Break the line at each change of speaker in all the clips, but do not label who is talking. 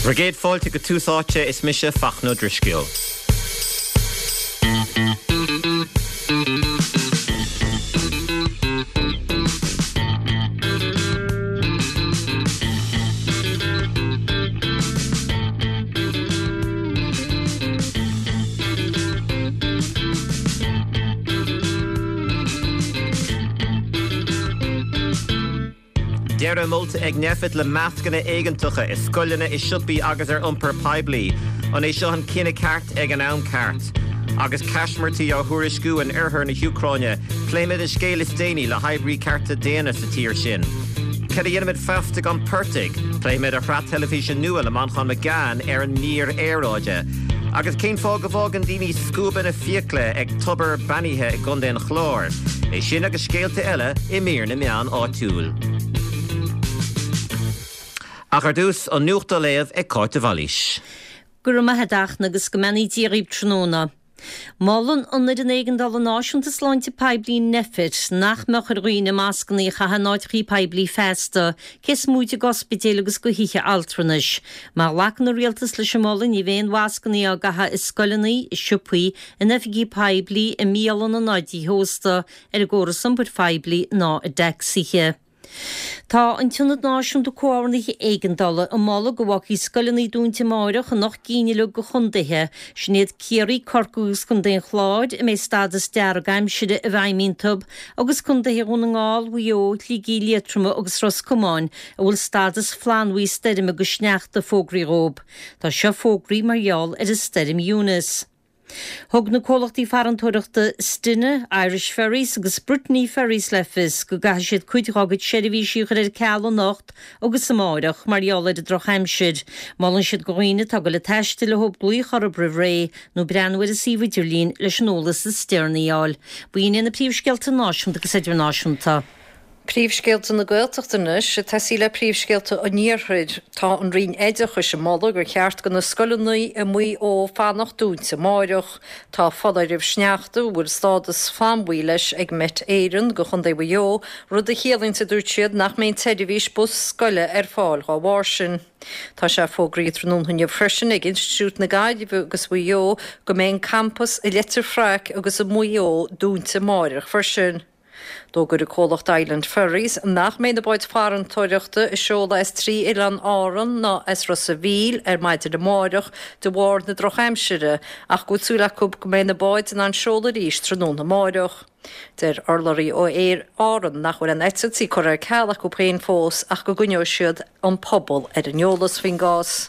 Bhur gcéad fáilte go Tús Áite, is mise Fachtna Ó Drisceoil. Deireadh molta ag Nphet le mascanna éigeantacha i scoileanna, i siopaí agus ar iompar poiblí. An é seo an cinneadh ceart ag an am ceart? Agus caismirtí á thuairisciú in oirthear na hÚcráine, pléimid an scéal is déanaí le hoibrí cearta daonna sa tír sin. Cad a dhéanfaimid feasta gan portaigh? Pléimid a shraith teilifíse nua le Manchán Magan ar an mír aeráide. Agus cén fáth go bhfágann daoine scuabanna fiacla ag tobar beannaithe i gContae an Chláir? É sin agus scéalta eile i mír na meán áitiúil. Ach ar dtús, an nuacht á léamh ag Cáit de Bhailís.
Go raibh maith a't a Fhachtna agus go mbeannaí Dia dhaoibh tráthnóna. Molann an Fhoireann Éigeandála Náisiúnta Sláinte Poiblí, Nphet, nach mbeadh ar dhaoine mascanna a chaitheamh in áiteachaí poiblí feasta, cé is móite d'ospidéil agus do thithe altranais. Má ghlacann an Rialtas leis an moladh, ní bheidh aon mhascanna á gcaitheamh i scoileanna, i siopaí, in oifigí poiblí, i mbialanna ná i dtithe ósta, ar an gcóras iompair phoiblí ná i dtacsaithe. Tá an tIonad Náisiúnta Comhordnaithe Éigeandála ag moladh go bhfágfaí scoileanna dúnta amáireach in 8 gcinn uilig de chontaetha, sin iad Ciarraí, Corcaigh agus Contae an Chláir, a mbeidh stádas dearg aimsire i bhfeidhm iontu, agus contaetha Dhún na nGall, Mhaigh Eo, Shligigh, Liatroma agus Ros Comáin, a bhfuil stádas flannbhuí stoirme agus sneachta fógraithe dhóibh. Tá seo fógraithe mar gheall ar an stoirm Eunice. Thug na comhlachtaí farantóireachta Stena, Irish Ferries agus Brittany Ferries le fios go gcaithfidh siad cuid dhá gcuid seirbhísí a chur ar ceal anocht agus amáireach mar gheall ar an drochaimsir. Molann siad do dhaoine atá ag goil ag taisteal leo glaoch orthu roimh ré nó breathnú ar an suíomh idirlín leis an eolas is deireanaí a fháil. B'in iad na príomhscéalta náisiúnta agus idirnáisiúnta.
Príomhscéalta na Gaeltachta anois, ag tosaí le príomhscéalta an Iarthair. Tá an Roinn Oideachais ag moladh gur cheart do na scoileanna i Maigh Eo fanacht dúnta amáireach. Tá foláireamh sneachta a bhfuil stádas flannbhuí leis ag Met Éireann do Chontae Mhaigh Eo, rud a chiallaíonn, a dúirt siad, nach mbeidh an tseirbhís bus scoile ar fáil dhá bharr sin. Tá sé fógraithe tráthnóna inniu freisin ag Institiúid na Gaillimhe agus Mhaigh Eo go mbeidh an campas i Leitir Fraic agus i Maigh Eo dúnta amáireach freisin. D'fhógair an comhlacht Island Ferries nach mbeidh na báid farantóireachta ag seoladh as trí oileán Árann ná as Ros a' Mhíl ar maidin amárach de bharr na drochaimsire ach go bhfuil súil acu go mbeidh na báid in ann seoladh arís tráthnóna amárach. Deir urlabhraí ó Aer Árann nach bhfuil aon eitiltí curtha ar ceal acu féin fós ach go gcoinneoidh siad an pobal ar an eolas faoin gcás.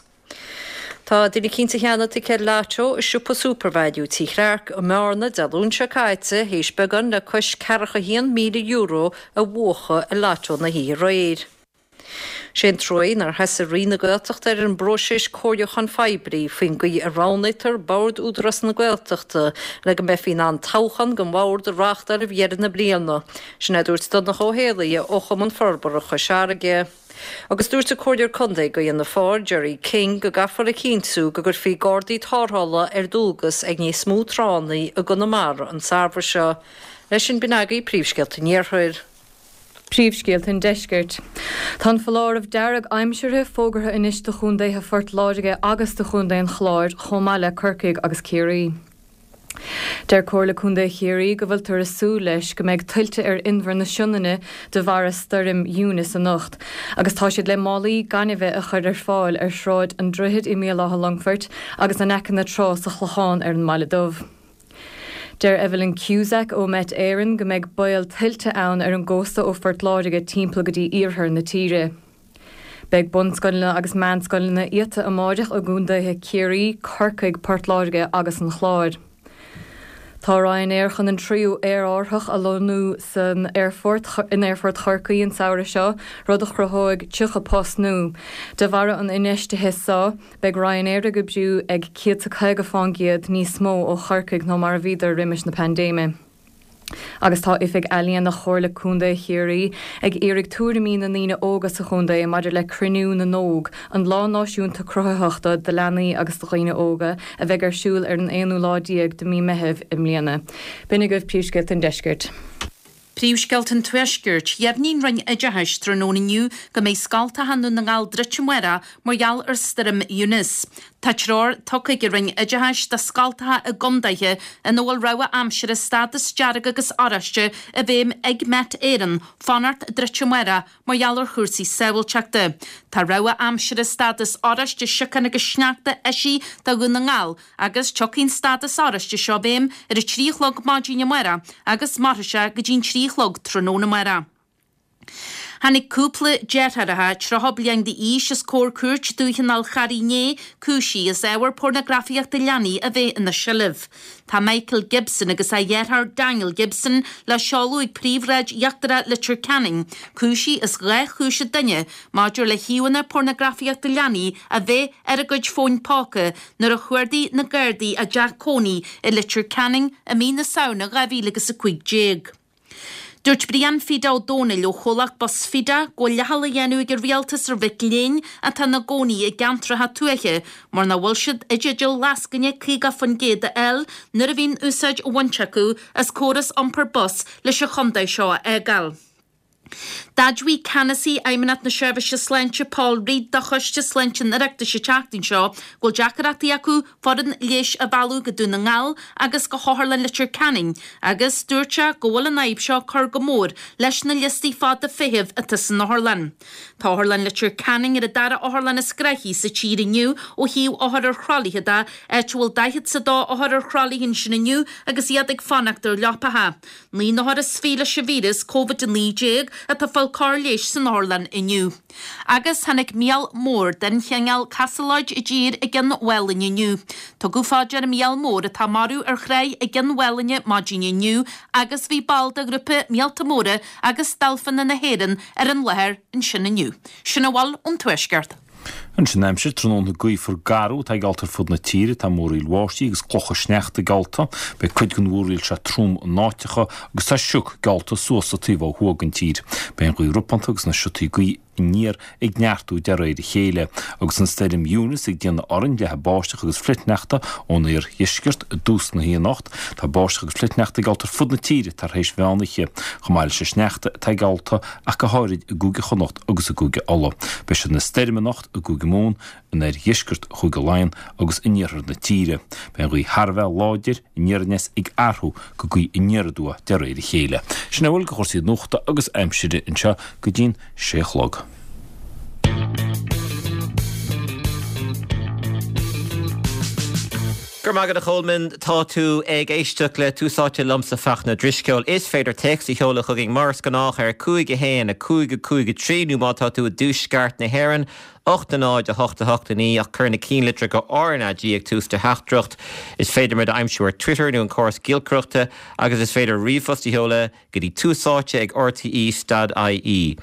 Tá duine cinnte cheana ticéad Lotto i siopa Supervalu Tí Chlarke i mBearna Dé Luain seo caite théis beagán le cois ceathracha €1,000 a bhuachan i Lotto na hoíche aréir. Sé an truaí nár sheasaigh Roinn na Gaeltachta ar an bpróiseas comhairliúcháin phoiblí faoin gcaoi a roghnaítear Bord Údarás na Gaeltachta le go mbeifí in ann toghchán don bhord a reáchtáil roimh dheireadh na bliana. Sin é a dúirt Donncha Ó Héalaí ó Chumann Forbartha Chois Fharraige. Agus dúirt an Comhairleoir Contae do Fhianna Fáil, Gerry King, go gcaithfear a chinntiú go gcuirfí gardaí tarrthála ar dualgas ag níos mó tránna i gConamara an samhradh seo. Leis sin, b'in agaibh príomhscéalta an Iarthair.
Príomhscéalta an Deiscirt. Tá an foláireamh dearg aimseartha fógartha anois do chontaetha Phort Láirge agus do chontae an Chláir chomh maith le Corcaigh agus Ciarraí. Deir Comhairle Contae Chiarraí go bhfuiltear ag súil leis go mbeidh tuilte ar Inbhear na Sionainne de bharra stoirm Eunice anocht agus tá siad le málaí gainimhe a chur ar fáil ar Shráid an Droichid i mBéal Átha Longfoirt agus in aice na trá sa Chlochán ar an mBaile Dubh. Deir Evelyn Cusack ó Met Éireann go mbeidh baol tuilte ann ar an gcósta ó Phort Láirge timpeall go dtí iarthar na tíre. Beidh bunscoileanna agus meánscoileanna iata amáireach i gcontaetha Chiarraí, Corcaigh, Port Láirge agus an Chláir. Tá Ryanair chun an tríú aerárthach a lonnú san aerfort in Aerfort Chorcaí an samhradh seo, rud a chruthóidh 30 post nua. De bharra an infheistithe seo, beidh Ryanair ag oibriú ag 150 fán gcéad níos mó ó Chorcaigh ná mar a bhíodar roimis na paindéime. Agus tá Oifig Ealaíona Chomhairle Contae Chiarraí ag iarraidh tuairimí na ndaoine óga sa chontae maidir le Cruinniú na nÓg, an lá náisiúnta cruthaitheachta do leanaí agus do dhaoine óga, a bheidh ar siúl ar an aonú lá déag de mí Meitheamh i mbliana. B'in agaibh príomhscéalta an deiscirt.
Príomhscéalta an Tuaiscirt, Dheimhnigh an Roinn Oideachais tráthnóna inniu go mbeidh scoltacha i nDún na nGall druidte amárach mar gheall ar Stoirm Eunice. Tá treoir tugtha ag an Roinn Oideachais do scoltacha i gcondaetha ina bhfuil rabhadh aimsire stádas dearg agus oráiste i bhfeidhm ag Met Éireann fanacht druidte amárach mar gheall ar chúrsaí sábháilteachta. Tá rabhadh aimsire stádas oráiste siocán agus sneachta eisithe do Dhún na nGall agus tiocfaidh an stádas oráiste seo i bhfeidhm ar a 3 a chlog maidin amárach agus mairfidh sé go dtí'n 3 a chlog tráthnóna amárach. Tháinig cúpla deartháireacha 30 bliain d'aois os comhair Cúirt Dúiche an Fhál Charraigh inné, cúisithe as ábhar pornagrafaíochta leanaí a bheith ina seilbh. Tá Michael Gibson agus a dheartháir Daniel Gibson le seoladh ag Príomhshráid Íochtarach Leitir Ceanainn, cúisithe as 12 chúis an duine maidir le híomhánna pornagrafaíochta leanaí a bheith ar a gcuid fóin póca nuair a chuardaigh na Gardaí a dteach cónaí i Leitir Ceanainn i mí na Samhna 2015. Dúirt Brian Fida Ó Dónaill ó chomhlacht Bus Fida go bhfuil leathal á dhéanamh ag an rialtas ar mhic léinn atá ina gcónaí i gceantracha tuaithe mar nach bhfuil siad i dteideal lascaine 50% a fháil nuair a bhíonn úsáid á bhaint acu as córas iompair bus leis an chontae seo a fhágáil. D'admhaigh Ceannasaí Fheidhmeannacht na Seirbhíse Sláinte Paul Reid do Choiste Sláinte an Oireachtais an tseachtain seo go bhfuil deacaireachtaí acu foireann leighis a mhealladh go Dún na nGall agus go hOtharlann Leitir Ceanainn agus dúirt sé go bhfuil an fhadhb seo ag cur go mór leis na liostaí fada feithimh atá san otharlann. Tá Otharlann Leitir Ceanainn ar an dara otharlann is gnoithí sa tír inniu ó thaobh othar ar thralaithe de, áit a bhfuil 42 othar ar thralaithe ansin inniu agus iad ag fanacht ar leapacha. 9 n-othar is 20 leis an víreas Covid-19 atá ag fáil cóir leighis san otharlann inniu. Agus tháinig míol mór den chineál casalóid i dtír i gCionn Mhálainne inniu. Tugadh fá dear an míol mór atá marbh ar thráigh i gCionn Mhálainne maidin inniu agus bhí ball de ghrúpa Míolta Móra agus Dolphain na hÉireann ar an láthair ansin inniu. Sin a bhfuil ón Tuaisceart.
Anois an aimsir, tráthnóna gaofar garbh atá geallta ar fud na tíre. Tá múraíl bháistí agus clocha sneachta geallta. Beidh cuid den mhúraíl seo trom in áiteacha agus tá sioc geallta suas sa taobh ó thuaidh den tír. Beidh an ghaoth ropánta agus na siotaí gaoithe aniar ag neartú de réir a chéile. Agus an stoirm Eunice ag déanamh orainn, leathfaidh báisteach agus flichshneachta ón oirdheisceart i dtús na hoíche anocht. Tá báisteach agus flichshneachta geallta ar fud na tíre tar éis mheán oíche, chomh maith leis an sneachta atá geallta ach go háirid i gCúige Chonnacht agus i gCúige Uladh. Beidh sé ina stoirm anocht i gCúige Mumhan, in oirdheisceart Chúige Laighean agus in iarthar na tíre. Beidh an ghaoth thar a bheith láidir aniar aneas ag athrú go gaoth aniar aduaidh de réir a chéile. Sin a bhfuil de chúrsaí nuachta agus aimsire anseo go dtí'n sé a chlog.
Go raibh maith agat a Cholmáin, tá tú ag éisteacht le Tús Áite liomsa Fachtna Drisceoil. Is féidir téacs a sheoladh chugainn mar is gnách ar 5 1 5 5 3 nó má tá tú i dtuaisceart na hÉireann, 8 0 8 8 9 ach cuir na cinnlitreacha RnaG ag tús do theachtaireacht. Is féidir muid a aimsiú ar Twitter nó an córas giolcaireachta agus is féidir ríomhphost a sheoladh go dtí túsáite ag rte stad ie.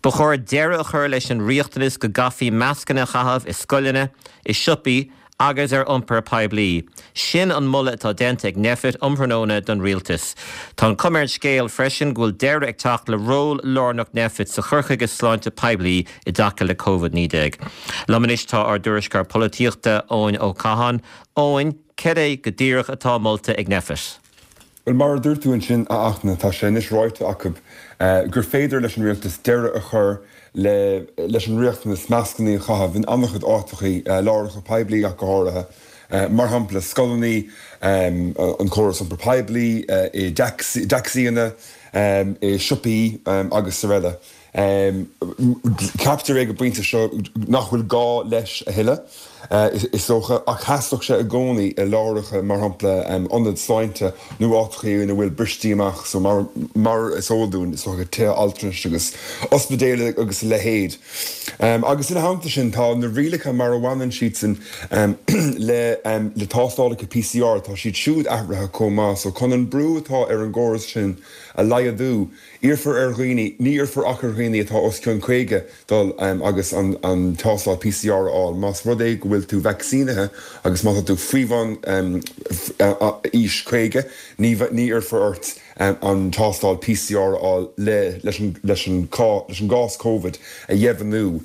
Ba chóir deireadh a chur leis an riachtanas go gcaithfí mascanna a chaitheamh i scoileanna, i siopaí agus ar iompar poiblí. Sin an moladh atá déanta ag Nphet um thráthnóna don Rialtas. Tá an chuma ar an scéal freisin go bhfuil deireadh ag teacht le ról lárnach Nphet sa chur chuige sláinte poiblí i dtaca le Covid-19. Liom anois tá ár dtuairisceoir polaitíochta, Eoin Ó Catháin. Eoin, céard é go díreach atá molta ag Nphet?
Bhuel, mar a dúirt tú ansin, a Fhachtna, tá sé anois ráite acu gur féidir leis an rialtas deireadh a chur le leis an riachtanas mascannaí a chaitheamh in an-chuid áiteachaí, láithreacha poiblí ach go háirithe, mar shampla scoileannaí, an córas iompair poiblí, i dtacsaíanna, i siopaí agus araile. Ceaptar ag an bpointe seo nach bhfuil gá leis a thuilleadh, is dócha, ach sheasfadh sé i gcónaí i láithreacha, mar shampla ionaid sláinte nó áiteacha ina bhfuil bristí amach, so mar is eol dúinn, is dócha, tithe altranais agus ospidéil agus a leithéid. Agus ina theannta sin, tá na rialacha mar a bhaineann siadsan le tástálacha PCR, tá siad siúd athraithe chomh maith, so chun an brú atá ar an gcóras sin a laghdú, Iarrfar ar dhaoine, ní iarrfar ach ar dhaoine atá os cionn 50 dul agus an tástáil PCR a fháil. Más rud é go bhfuil tú vacsaínithe agus má tá tú faoi bhun aois 50, ní iarrfar ort an tástáil PCR a fháil leis an gcás Covid a dheimhniú.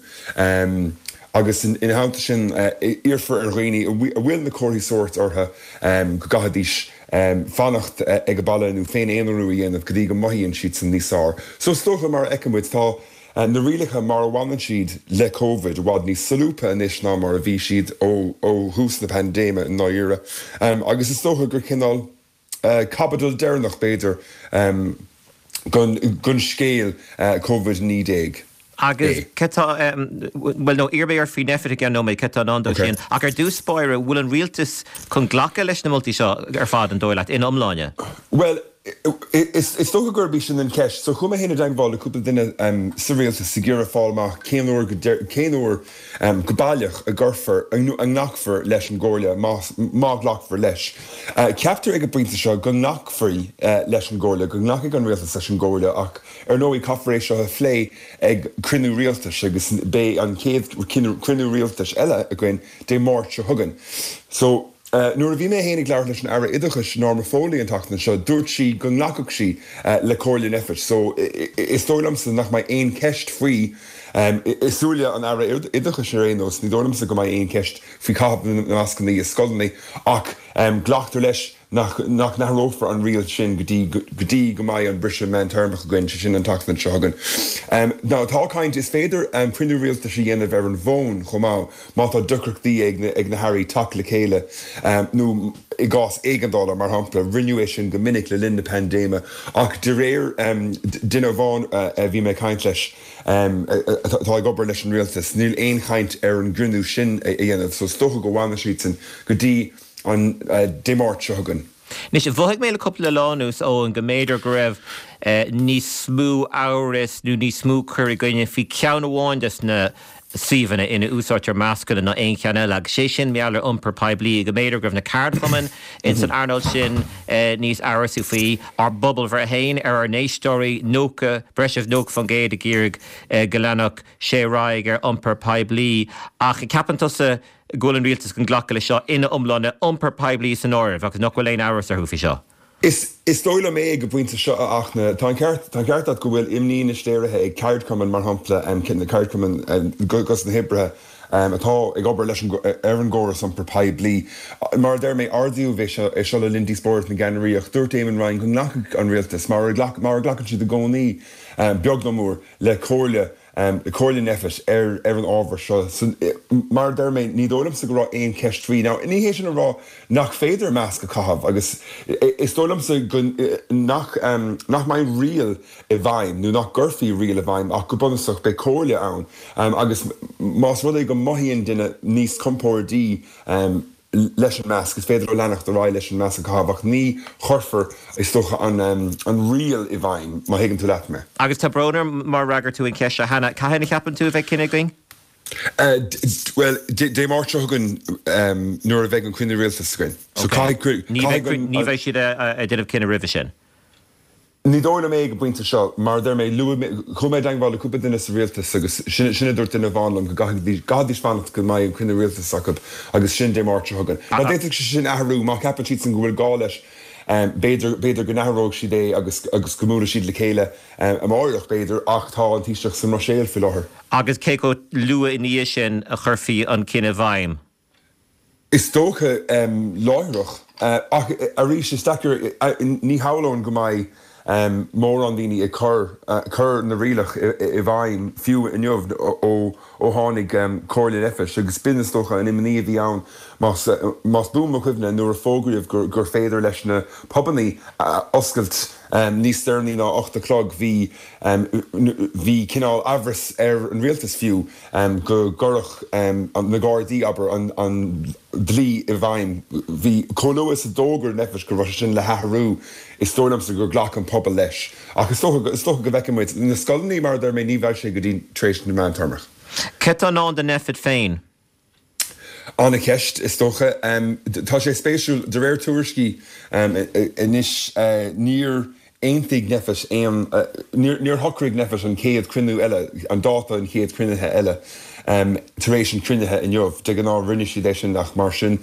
Agus ina theannta sin, iarrfar ar dhaoine a bhfuil na comharthaí sóirt orthu go gcaithfidís. fanacht ag baile nó féin-aonarú a dhéanamh go dtí go mothaíonn siadsan níos fearr. So is dócha, mar a fheiceann muid, tá na rialacha mar a bhaineann siad le Covid i bhfad níos solúbtha anois ná mar a bhí siad ó thús na paindéime i ndáiríre. Agus is dócha gur cineál caibidil deireanach, b'fhéidir, den scéal Covid-19
Agus cé tá, bhuel nó iarrfaidh mé ort faoi Nphet i gceann nóiméad, cé tá i ndán dó sin. Ach ar dtús báire, bhfuil an rialtas chun glacadh leis na moltaí seo ar fad, an dóigh leat, ina iomláine?
Bhuel, is dócha gurb í sin an cheist. So chuaigh mé féin i dteagmháil le cúpla duine sa rialtas ag iarraidh fáil amach cén uair go, cén uair go baileach a gcuirfear, nó a nglacfar leis an gcomhairle, má ghlacfar leis. Ceaptar ag an bpointe seo go nglacfaí leis an gcomhairle, go nglacfaidh an rialtas leis an gcomhairle ach ar ndóigh caithfear é seo a phlé ag cruinniú rialtais agus beidh an chéad chruinniú rialtais eile againn Dé Máirt seo chugainn. So, nuair a bhí mé féin ag labhairt leis an Aire Oideachais, Norma Foley an tseachtain seo, dúirt sí go nglacfadh sí le comhairle Nphet. So, is dóigh liomsa nach mbeidh aon cheist faoi, i súile an Aire Oideachais ar aon nós, ní dóigh liomsa go mbeidh aon cheist faoi chaitheamh na mascanna i scoileanna ach glactar leis nach n-athrófar an riail sin go dtí go dtí go mbeidh an briseadh meántéarmach againn, sé sin an tseachtain seo chugainn. Now tá caint, is féidir cruinniú rialtais a dhéanamh ar an bhfón chomh maith má tá deacrachtaí ag na hairí teacht le chéile nó i gcás éigeandála, mar shampla. Rinneadh é sin go minic le linn na paindéime ach de réir duine amháin a bhí mé ag caint leis, atá ag obair leis an rialtas, níl aon chaint ar an gcruinniú sin a dhéanamh so is dócha go bhfanfaidh siadsan go dtí an Dé Máirt seo chugainn.
Anois, mhothaigh mé le cúpla lá anuas, Eoin, go mb'fhéidir go raibh níos mó amhrais nó níos mó cur i gcoinne faoi cheann amháin des na suíomhanna ina úsáidtear mascanna ná aon cheann eile, agus sé sin mar gheall ar iompar poiblí, go mb'fhéidir go raibh na ceardchumainn ins an earnáil sin níos amhrasaí faoi. Ár bpobalbhreith féin ar ár n-éisteoirí, 90, breis is 90% ag iarraidh go leanfadh sé ar aghaidh ar iompar poiblí. Ach ceapann tusa go bhfuil an rialtas chun glacadh leis seo ina iomláine, iompar poiblí san áireamh, agus nach bhfuil aon amhras orthu faoi seo.
Is is dóigh liom é ag an bpointe seo, a Fhachtna. Tá an ceart tá an ceart agat go bhfuil imní anois léirithe ag ceardchumainn, mar shampla, na ceardchumainn dos na hoibrithe atá ag obair leis an ar an gcóras iompair poiblí. Mar a deir mé, ardaíodh é seo é seo le linn díospóireacht na gceannairí ach dúirt Eamon Ryan go nglacfadh an rialtas, mar a ghlac mar a ghlacann siad i gcónaí, beag nó mór, le comhairle Comhairle Nphet ar ar an ábhar seo. Mar a deir mé, ní dóigh liomsa go raibh aon cheist faoi. Now, ní hé sin a rá nach féidir masc a chaitheamh agus is dóigh liomsa go nach nach mbeidh riail i bhfeidhm nó nach gcuirfí riail i bhfeidhm ach go bunúsach beidh comhairle ann agus más rud é go mothaíonn duine níos compórdaí leis an masc, is féidir leo leanacht ar aghaidh leis an masc a chaitheamh ach ní chuirfear, is dócha, an riail i bhfeidhm, má thuigeann tú leat mé.
Agus tá brón orm má fhreagair tú an cheist seo cheana, cathain a cheapann tú a bheidh cinneadh againn?
Bhuel, Dé Máirt seo chugainn nuair a bheidh an cruinniú rialtais againn. So caithfidh, caithfidh
an. Ní bheidh siad ag déanamh cinneadh roimhe sin?
Ní dóigh liom é ag an bpointe seo. Mar a deir mé, luaigh mé, chuaigh mé i dteagmháil le cúpla duine sa rialtas agus sin, sin a dúirt duine amháin liom, go gcaithfidís, gcaithfidís fanacht go mbeidh an cruinniú rialtais acu agus sin Dé Máirt seo chugainn. Now d'fhéadfadh sé sin athrú má cheapann siadsan go bhfuil gá leis, b'fhéidir, b'fhéidir go n-athróidh siad é agus, agus go mbuailfidh siad le chéile amáireach b'fhéidir ach tá an Taoiseach sa mBruiséil faoi láthair.
Agus cé chomh luath ina dhiaidh sin a chuirfí an cinneadh i bhfeidhm?
Is dócha, láithreach. Ach arís, is deacair, ní shamhlóinn go mbeidh mórán daoine ag cur cur na rialach i bhfeidhm fiú inniu ó ó tháinig comhairle Nphet agus b'in is dócha an imní a bhí ann más más buan mo chuimhne nuair a fógraíodh gur gur féidir leis na pubannaí oscailt níos deireanaí ná 8 a chlog bhí bhí cineál amhras ar an rialtas fiú go gcuirfeadh na Gardaí, abair, an dlí i bhfeidhm. Bhí, chomh luath is a d'fhógair Nphet go raibh sé sin le hathrú, is dóigh liomsa gur ghlac an pobal leis. Ach is dócha, is dócha go bhfeicfidh muid. Na scoileanna, mar a deir mé, ní bheidh sé go dtí tar éis na meántéarmach.
Cad tá i ndán do Nphet féin?
Ana-cheist, is dócha. Tá sé spéisiúil, de réir tuairiscí anois, níor aontaigh Nphet aon, níor shocraigh Nphet an chéad chruinniú eile, an dáta an chéad chruinnithe eile tar éis an chruinnithe inniu. De ghnáth rinne siad é sin ach mar sin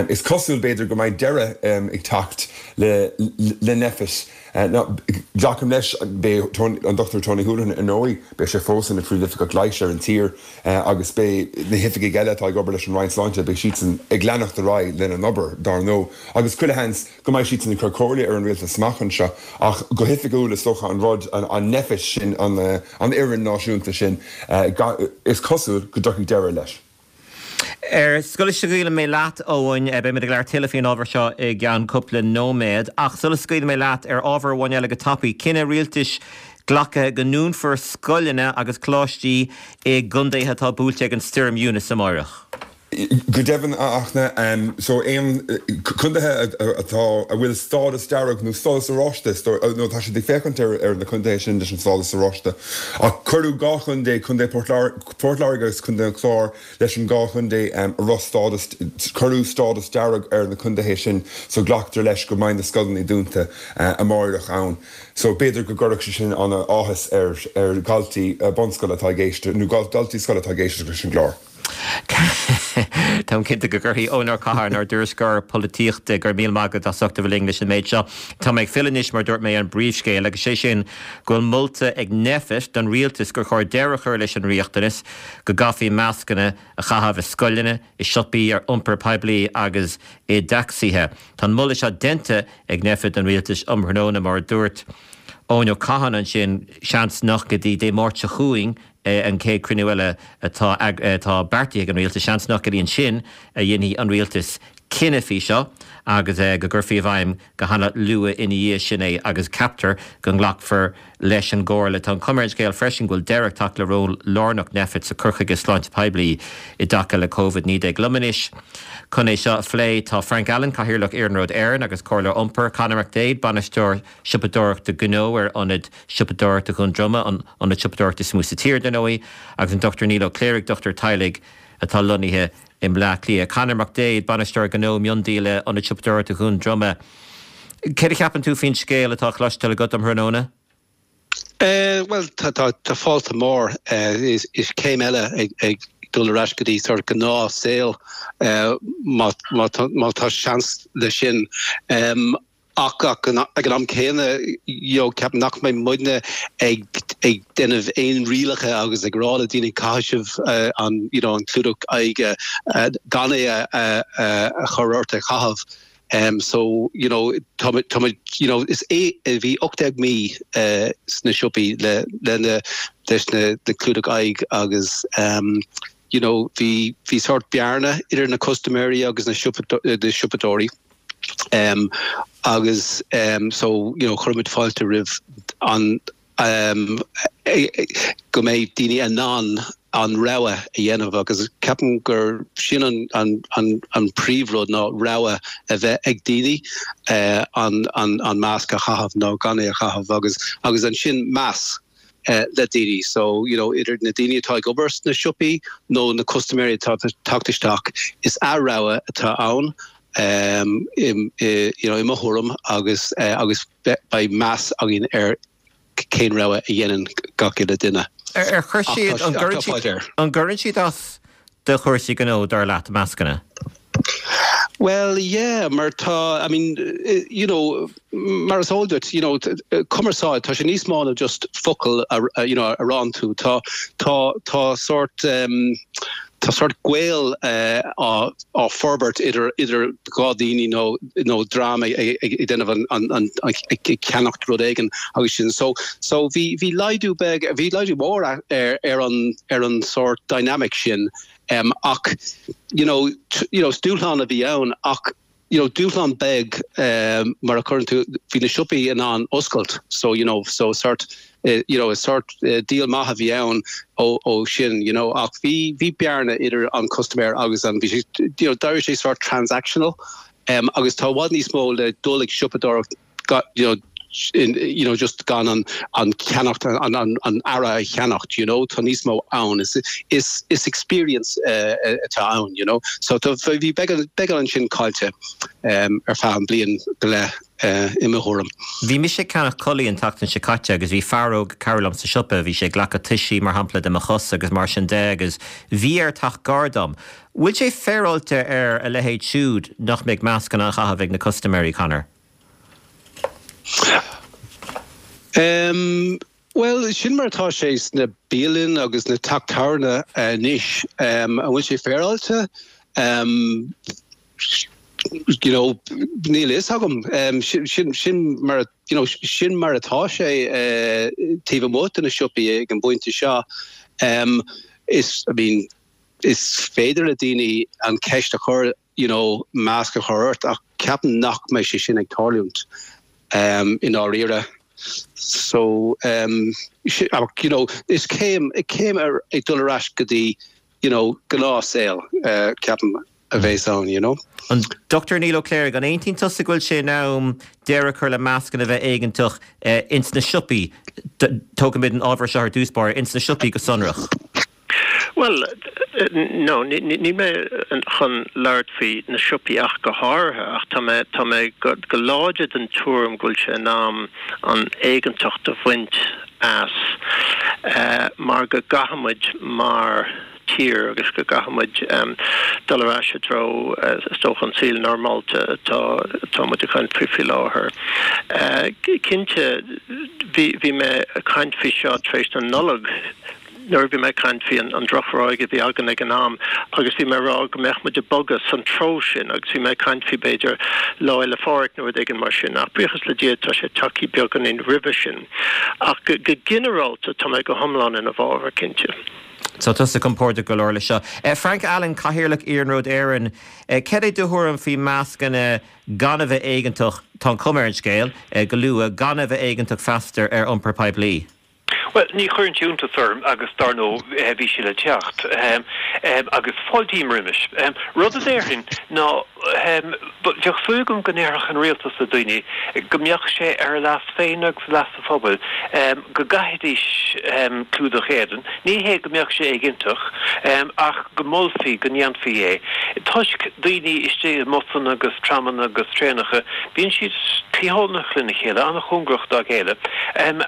is cosúil, b'fhéidir, go mbeidh deireadh ag teacht le Nphet. Now, glacaim leis, beidh an Dr Tony Holohan, ar ndóigh, beidh sé fós ina Phríomhoifigeach Leighis ar an tír agus beidh na hoifigigh eile atá ag obair leis an Roinn Sláinte, beidh siadsan ag leanacht ar aghaidh lena n-obair, dar ndóigh. Agus chuile sheans go mbeidh siadsan ag cur comhairle ar an rialtas amach anseo. Ach go hoifigiúil, is dócha, an rud, an Nphet sin, an fhoireann náisiúnta sin, is cosúil go dtiocfaidh deireadh leis.
Ar sula scaoilfidh mé leat, Eoin, beimid ag labhairt tuilleadh faoin ábhar seo i gceann cúpla nóiméad, ach sula scaoilfidh mé leat, ar ábhar amháin eile go tapaidh, cinneadh rialtais glactha go ndúnfar scoileanna agus coláistí i gcontaetha atá buailte ag an stoirm Eunice amáireach.
Go deimhin, a Fhachtna, so aon contaetha atá, a bhfuil stádas dearg nó stádas oráiste, nó tá siad ag féachaint ar na contaetha sin leis an stádas oráiste, ach cuireadh 2 chontae, Contae Port Láirge agus Contae an Chláir, leis an dhá chontae a raibh stádas, cuireadh stádas dearg ar na contaetha sin so glactar leis go mbeidh na scoileanna dúnta amáireach ann. So b'fhéidir go gcuirfeadh sé sin an-áthas ar ar dhaltaí bunscoile atá ag éisteacht nó daltaí scoile atá ag éisteacht leis an gclár.
Táim cinnte go gcuirfidh Eoin Ó Catháin, ár dtuairisceoir polaitíochta, go raibh míle maith agat as ucht a bheith linn leis an méid seo. Tá mé ag filleadh anois, mar a dúirt mé, ar an bpríomhscéal, agus sé sin go bhfuil molta ag Nphet don rialtas gur chóir deireadh a chur leis an riachtanas go gcaithfí mascanna a chaitheamh i scoileanna, i siopaí, ar iompar poiblí agus i dtacsaithe. Tá an moladh seo déanta ag Nphet don rialtas um thráthnóna, mar a dúirt Eoin Ó Catháin ansin, seans nach go dtí Dé Máirt seo chugainn an chéad chruinniú eile atá atá beartaithe ag an rialtas, seans nach go dtí ansin a dhéanfaidh an rialtas cinneadh faoi seo agus go gcuirfí i bhfeidhm go han-luath ina dhiaidh sin é agus ceaptar go nglacfar leis an gcomhairle. Tá an chuma ar an scéal freisin go bhfuil deireadh ag teacht le ról lárnach Nphet sa chur chuige sláinte poiblí i dtaca le Covid-19. Liom anois chun é seo a phlé tá Frank Allen, Cathaoirleach Iarnród Éireann agus Comhairleoir Iompair, Conor McDaid, Bainisteoir Siopadóireachta Gnó ar Ionad Siopadóireachta Dhún Droma, an t-ionad siopadóireachta is mó sa tír, dar ndóigh, agus an Dr Neil Ó Cléirigh, dochtúir teaghlaigh atá lonnaithe i mBleá Cliath. Conor McDaid, Bainisteoir Gnó Miondíola, Ionad Siopadóireachta Dhún Droma. Céard a cheapann tú faoin scéal atá cloisteáil agat um thráthnóna?
Bhuel, tá fáilte mór. Is céim eile ag dul ar ais go dtí sort gnáth saol má tá seans le sin. Ach ag an am céanna, you know, ceapaim nach mbeidh muidne ag ag déanamh aon rialacha agus ag rá le daoine caithfidh sibh an, you know, an clúdach aghaidhe gan é a a chur ort a chaitheamh. Um, so, you know, tá tá muid, you know, is é bhí 18 mí uh, sna siopaí le le na leis na na clúdach aghaidh agus um, you know, bhí bhí sort bearna idir na custaiméirí agus na siopadóirí. Um, agus um, so you know, chuir muid fáilte roimh an um, go mbeidh daoine in ann an rogha a dhéanamh agus ceapaim gur sin an, an, an, an príomhrud ná rogha a bheith ag daoine uh, an, an, an masc a chaitheamh nó gan é a chaitheamh agus, agus ansin meas le daoine. So, you know, idir na daoine atá ag obair sna siopaí nó na custaiméirí atá ag teacht isteach, is a rogha atá ann, um, i, i, you know, i mo thuairim agus, uh, agus beidh meas againn ar cén rogha a dhéanann gach uile duine.
Ar, ar chuir siad, an gcuireann siad, an gcuireann siad as do chúrsaí gnó, dar leat, mascanna?
Well, yeah, mar tá, I mean, you know, mar is eol duit, you know, cumarsáid, tá sé níos mó ná just focal a, you know, a ránn tú. Tá, tá, tá sort, um, tá sort gaol uh, á, á forbairt idir, idir dhá daoine nó, nó dream ag, ag, ag déanamh an, an, an, ag, ag ceannacht rud éigin agus sin. So, so bhí, bhí laghdú beag, bhí laghdú mór ar, ar an, ar an sort dynamic sin. Um, ach, you know, you know, dúshlán a bhí ann ach you know, dúshlán beag um, mar a chuireann tú bhí na siopaí in ann oscailt so you know, so sort uh, you know, sort uh, deal maith a bhí ann ó, ó sin you know, ach bhí bhí bearna idir an customer agus an bhí sé you know, d'éirigh sé sort transactional um, agus tá i bhfad níos mó le dul ag siopadóireacht you know, in, you know, just gan an, an ceannacht, an, an, an earra a cheannacht, you know, tá níos mó ann, is, is, is experience uh, atá ann, you know. So tá, bhí beagán, beagán ansin caillte um, ar feadh an bliain go leith uh, i mo thuairim.
Bhí mise ag ceannach culaith an tseachtain seo caite agus bhí fear óg ag cabhrú liom sa siopa, bhí sé ag glacadh toisí mar shampla de mo chos agus mar sin de agus bhí air teacht gar dom. Bhfuil sé féaráilte ar a leithéid siúd nach mbeidh mascanna á chaitheamh ag na custaiméirí, Conor?
Bhuel, sin mar atá sé sna bialanna agus na teach tábhairne anois. An bhfuil sé féaráilte? You know, níl a fhios agam. Sin, sin mar, you know, sin mar atá sé taobh amuigh de na siopaí ag an bpointe seo. Is, I mean, is féidir le daoine an cheist a chur, you know, masc a chur ort ach ceapaim nach mbeidh sé sin ag tarlúint i ndáiríre. So, you know, is céim, céim ar, ag dul ar ais go dtí, you know, gnáthshaol, ceapaim, a bheas ann, you know.
An Dr Niall Ó Cléirigh, an aontaíonn tusa go bhfuil sé in am deireadh a chur le mascanna a bheith éigeantach ins na siopaí? Tógfaimid an ábhar seo ar dtús báire, ins na siopaí go sonrach.
Bhuel, no, níl mé chun labhairt faoi na siopaí ach go háirithe, ach tá mé, tá mé go láidir den tuairim go bhfuil sé in am an éigeantacht a bhaint as mar go gcaithfidh muid mar tír agus go gcaithfidh muid dul ar ais i dtreo, is dócha, an saol normálta atá, atá muid ag caint faoi faoi láthair. Cinnte, bhí, bhí mé ag caint faoi seo tar éis na Nollag, nuair a bhí mé ag caint faoi an drochráig a bhí againn ag an am agus bhí mé ag rá go mbeadh muid ag bogadh san treo sin agus bhí mé ag caint faoi b'fhéidir Lá Fhéile Phádraig nó rud éigin mar sin ach buíochas le Dia tá sé tagtha beagáinín roimhe sin. Ach go ginearálta tá mé go hiomlán ina bhfabhar, cinnte.
Tá tusa compordach go leor leis seo. Frank Allen, Cathaoirleach Iarnród Éireann, cad é do thuairim faoi mascanna gan a bheith éigeantach, tá an chuma ar an scéal, go luath, gan a bheith éigeantach feasta ar iompar poiblí?
Bhuel, ní chuireann sé iontas orm agus dar ndóigh bhí sé le teacht agus fáiltím roimis. Rud a déarfainn ná bheadh súil agam go ndéarfadh an rialtas le daoine go mbeadh sé ar a leas féin agus leas an phobail go gcaithfidís clúdach éadain. Ní hé go mbeadh sé éigeantach ach go molfaí go ndéanfaí é. Toisc daoine istigh i mbusanna agus tramanna agus traenacha, bíonn siad cliathánach lena chéile, an-chóngarach dá chéile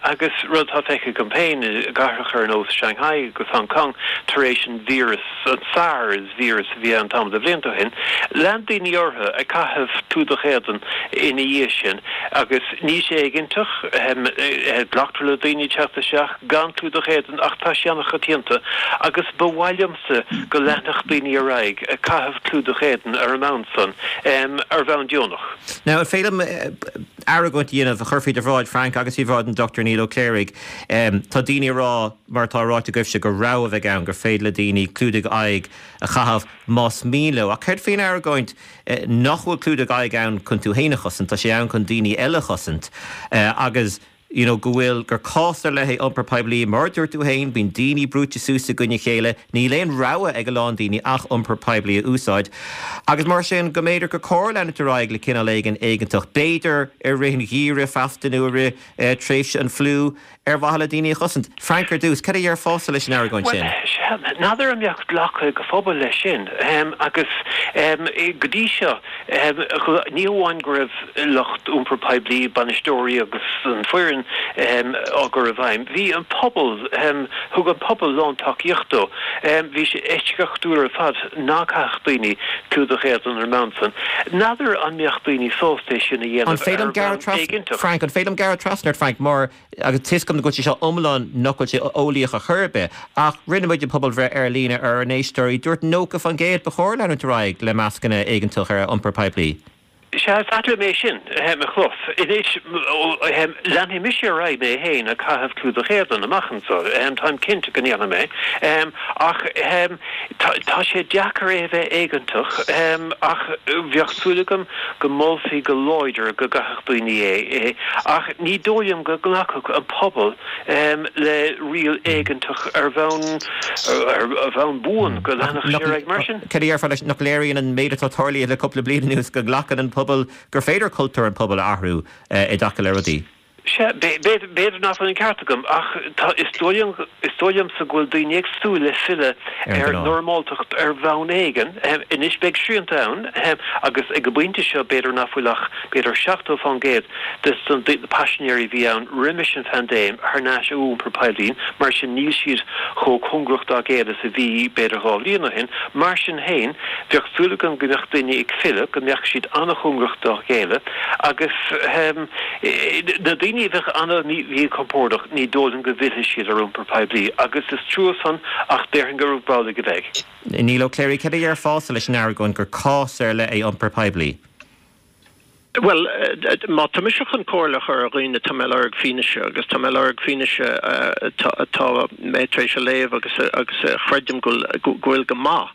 agus rud atá feicthe agam féin i gcathracha ar nós Shanghai agus Hong Kong tar éis an víreas, an SARS víreas a bhí ann tamall de bhlianta ó shin, lean daoine orthu ag caitheamh clúdach éadain ina dhiaidh sin agus níl sé éigeantach, glactar le daoine teacht isteach gan clúdach éadain ach tá sé an-choitianta agus ba mhaith liomsa go leanfadh daoine ar aghaidh ag caitheamh clúdach éadain ar an mbonn san, ar bhonn deonach.
Now, an féidir liom argóint a dhéanamh a chur faoi do bhráid, Frank, agus faoi bhráid an Dr Niall Ó Cléirigh? Tá daoine ag rá, mar atá ráite agaibhse, gur rogha a bheidh ann, gur féidir le daoine clúdaigh aghaidh a chaitheamh más mian leo. Ach céard faoin argóint nach bhfuil clúdach aghaidh ann chun tú féin a chosaint, tá sé ann chun daoine eile a chosaint agus you know go bhfuil, gur cás ar leith é iompar poiblí, mar a dúirt tú féin, bíonn daoine brúite suas i gcoinne a chéile, níl aon rogha ag a lán daoine ach iompar poiblí a úsáid agus mar sin go mb'fhéidir gur cóir leanúint ar aghaidh le cineál éigin éigeantach, b'fhéidir i rith an gheimhridh feasta nó i rith tréimhse an fliú. ar mhaithe le daoine a chosaint. Frank, ar dtús, cad a dhéarfása leis an argóint
sin? Bhuel, sea, n'fheadar an mbeadh glacadh ag an phobal leis sin. Agus go dtí seo, ní hamháin go raibh lucht iompar poiblí, bainisteoirí agus an foireann á gcur i bhfeidhm, bhí an pobal, thug an pobal lántacaíocht dó. Bhí sé eisceachtúil ar fad ná caithfeadh daoine clúdach éadain ar an mbonn san. N'fheadar an mbeadh daoine sásta é sin a
dhéanamh ar bhonn éigeantach. Frank, an féidir liom gearradh trasna ort, Frank, mar, agus tá 'fhios agam go bhfuil sé seo iomlán nach bhfuil sé eolaíoch ar chor ar bith, ach rinne muid an pobalbhreith ar líne ar ár n-éisteoirí, dúirt 90% ba chóir leanúint ar aghaidh le mascanna éigeantach ar iompar poiblí.
Sea, is ait liom é sin a chlos. Anois, leanfaidh mise ar aghaidh mé féin ag caitheamh clúdach éadain amach anseo, táim cinnte go ndéanfaidh mé, ach tá sé deacair é a bheith éigeantach, ach bheadh súil agam go molfaí go láidir go gcaithfeadh daoine é, ach ní dóigh liom go nglacfadh an pobal le riail éigeantach ar bhonn ar bhonn buan, go leanfadh sé ar aghaidh mar sin.
Cad a déarfá leis, nach léiríonn an méid atá tarlaithe le cúpla bliain anuas go nglacann an pobal, gur féidir cultúr an phobail a athrú i dtaca le rudaí?
Sea, b'fhéidir nach bhfuil an ceart agam, ach tá, is dóigh liom, is dóigh liomsa go bhfuil daoine ag súil le filleadh ar normáltacht ar bhonn éigin. Anois beidh srianta ann agus ag an bpointe seo b'fhéidir nach bhfuil ach b'fhéidir 70% de na paisinéirí a bhí ann roimis an phaindéim thar n-ais ar iompar poiblí, mar sin níl siad chomh cóngarach dá gcéile is a bhí b'fhéidir 2 bhliain ó shin. Mar sin féin, bheadh súil agam go mbeadh daoine ag filleadh, go mbeadh siad an-chóngarach dá chéile agus na daoine. Daoine a bheadh an-mhíchompordach, ní dóigh liom go bhfillfidh siad ar iompar poiblí, agus is trua san, ach déarfainn gurb amhlaidh a bheidh.
Niall Ó Cléirigh, céard a dhéarfása leis an argóint gur cás ar leith é iompar poiblí?
Bhuel, má tá mise chun comhairle a chur ar dhaoine, tá mé ag lorg fianaise, agus tá mé ag lorg fianaise atá mé tar éis a léamh agus a chreidim go bhfuil go maith.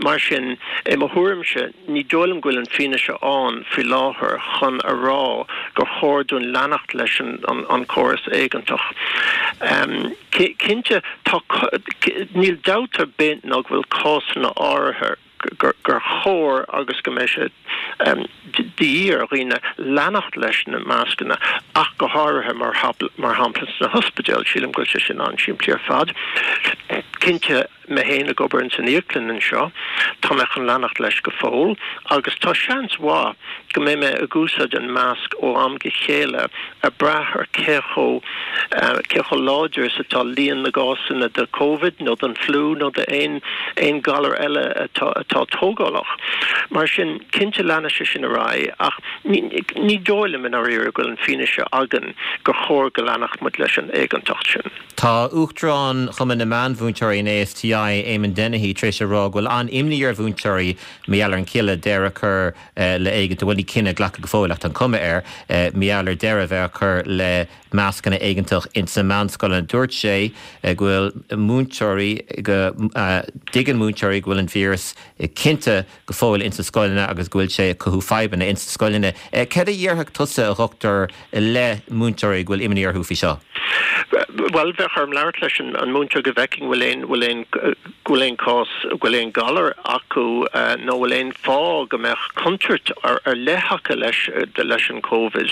Mar sin, i mo thuairimse, ní dóigh liom go bhfuil an fianaise ann faoi láthair chun a rá gur chóir dúinn leanacht leis an córas éigeantach. Cinnte, tá, níl dabht ar bith ná go bhfuil cásanna áirithe, gur chóir agus go mbeidh sé de dhíth ar dhaoine leanacht leis na mascanna, ach go háirithe, mar shampla sna hospidéil. Sílim go bhfuil sé sin an-simplí ar fad. Cinnte, mé féin ag obair ins an íoclann anseo, tá mé chun leanacht leis go fóill agus tá seans mhaith go mbeidh mé ag úsáid an masc ó am go chéile ag brath ar cé chomh cé chomh láidir is atá líon na gcásanna de Covid nó den fliú nó de aon aon galar eile atá atá tógálach. Mar sin, cinnte leanfaidh sé sin ar aghaidh ach ní ní dóigh liom i ndáiríre go bhfuil an fianaise againn gur chóir go leanfadh muid leis an éigeantacht sin.
Tá Uachtarán Chumann na Meánmhúinteoirí, an ASTI, Eamon Dennehy, tar éis a rá go bhfuil an-imní ar mhúinteoirí mar gheall ar an chinneadh deireadh a chur le éigeantach, bhuel ní cinneadh glactha go fóill ach tá an cuma air, mar gheall ar deireadh a bheith á chur le mascanna éigeantach ins na meánscoileanna. Dúirt sé go bhfuil múinteoirí, go dtuigeann múinteoirí go bhfuil an víreas cinnte go fóill ins na scoileanna agus go bhfuil sé ag cothú fadhbanna ins na scoileanna. Céard a dhéarfadh tusa, a dhochtúir, le múinteoirí go bhfuil imní orthu faoi seo?
Bhuel, bheadh orm labhairt leis an múinteoir go bhfeicfinn bhfuil aon, bhfuil aon, go bhfuil aon cás, go bhfuil aon galar acu nó bhfuil aon fáth go mbeadh contúirt ar leith acu leis, leis an Covid.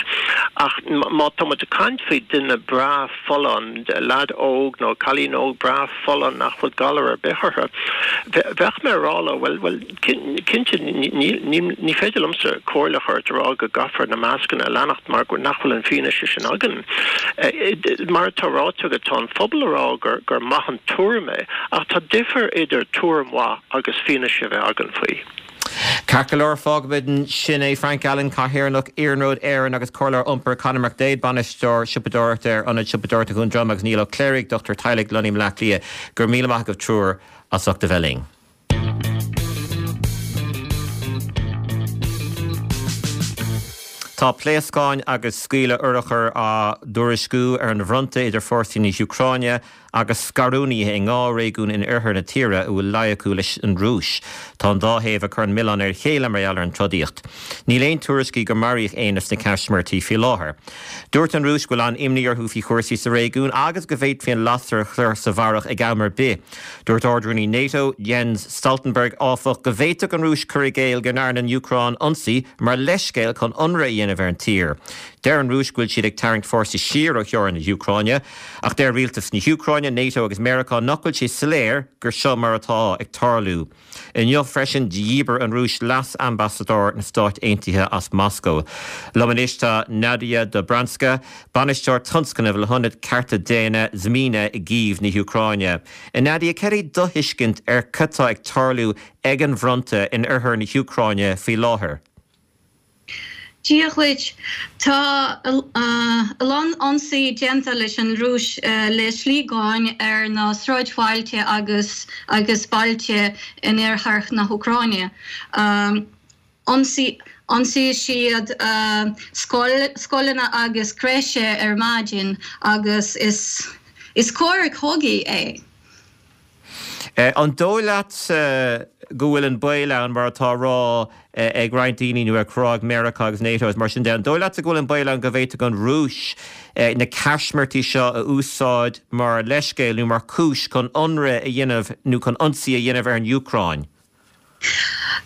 Ach má tá muid ag caint faoi duine breá folláin, leaid óg nó cailín óg breá folláin nach bhfuil galar ar bith orthu, bheadh mé ag rá leo, bhuel, bhuel, Cinnte, ní féidir liomsa comhairle a chur ort a rá go gcaithfear na mascanna a leanacht mar nach bhfuil an fianaise sin againn. Mar atá ráite agat, tá an phobal a rá gur maith an tuairim é, ach tá difear idir tuairim mhaith agus fianaise a bheith againn faoi.
Ceart go leor, fágfaimid ansin é. Frank Allen, Cathaoirleach Iarnród Éireann agus Comhairleoir Iompair, Conor McDaid, Bainisteoir Siopadóireachta ar Ionad Siopadóireachta Dhún Droma agus Niall Ó Cléirigh, Dochtúir Teaghlaigh, Lonnaithe i mBleá Cliath. Go raibh míle maith agaibh triúr as ucht a bheith linn. Tá pléascáin agus scaoileadh urchar á dtuairisciú ar an bhfronta idir fórsaí na hÚcráine agus scarúnaithe i ndhá réigiún in oirthear na tíre a bhfuil luí acu leis an Rúis. Tá an dá thaobh ag cur an milleán ar a chéile mar gheall ar an trodaíocht. Níl aon tuairiscí gur maraíodh éinne sna caismirtí faoi láthair. Dúirt an Rúis go bhfuil an-imní orthu faoi chúrsaí sa réigiún agus go bhféadfaí an lasair a chur sa bharrach ag am ar bith. Dúirt Ard-Rúnaí NATO, Jens Stoltenberg, áfach, go bhféadfadh an Rúis cur i gcéill go ndearna an Úcráin ionsaí mar leithscéal chun ionradh a dhéanamh ar an tír. Deir an Rúis go bhfuil siad ag tarraingt fórsaí siar ó theorainn na hÚcráine, ach deir rialtas na hÚcráine, NATO agus Meiriceá nach bhfuil sé soiléir gur seo mar atá ag tarlú. Inniu freisin, dhíbir an Rúis leas-ambasadóir na Stáit Aontaithe as Moscó. Liom anois tá Nadiya Dobrzanska, bainisteoir tionscnaimh le hIonad Cearta Daonna Zmina i gCív na hÚcráine. A Nadiya, céard é do thuiscint ar cad tá ag tarlú ag an bhfronta in oirthear na hÚcráine faoi láthair?
Dia dhuit. Tá a lán ionsaí déanta leis an Rúis le sliogáin ar na sráidbhailte agus agus bailte in oirthear na hÚcráine. Ionsaigh siad scoileanna agus crèche ar maidin agus is coir cogaidh é.
An dóigh leat go bhfuil an baol ann, mar atá á rá ag roinnt daoine nó á rá ag Meiriceá agus NATO agus mar sin de, an dóigh leatsa go bhfuil an baol ann go bhféadfadh an Rúis na caismirtí seo a úsáid mar leithscéal nó mar chúis chun ionradh a dhéanamh nó chun ionsaí a dhéanamh ar an Úcráin?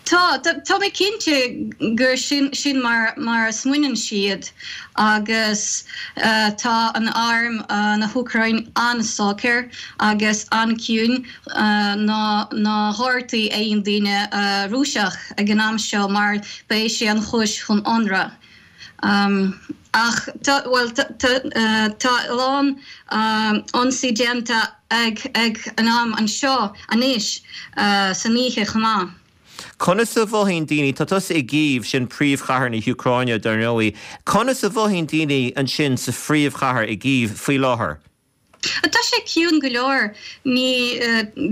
Tá, tá mé cinnte gur sin, sin mar, mar a smaoineann siad agus tá an arm na hÚcráin an-socair agus an-ciúin, ná, ná gortaigh aon duine Rúiseach ag an am seo mar beidh sé an chúis chun ionradh. Ach tá, bhuel, tá a lán ionsaí déanta ag ag an arm anseo anois san oíche chomh maith.
Conas a mhothaíonn daoine, tá tusa i gCív, sin príomhchathair na hÚcráine dar ndóigh, conas a mhothaíonn daoine ansin sa phríomhchathair i gCív faoi láthair?
Tá sé ciúin go leor. Ní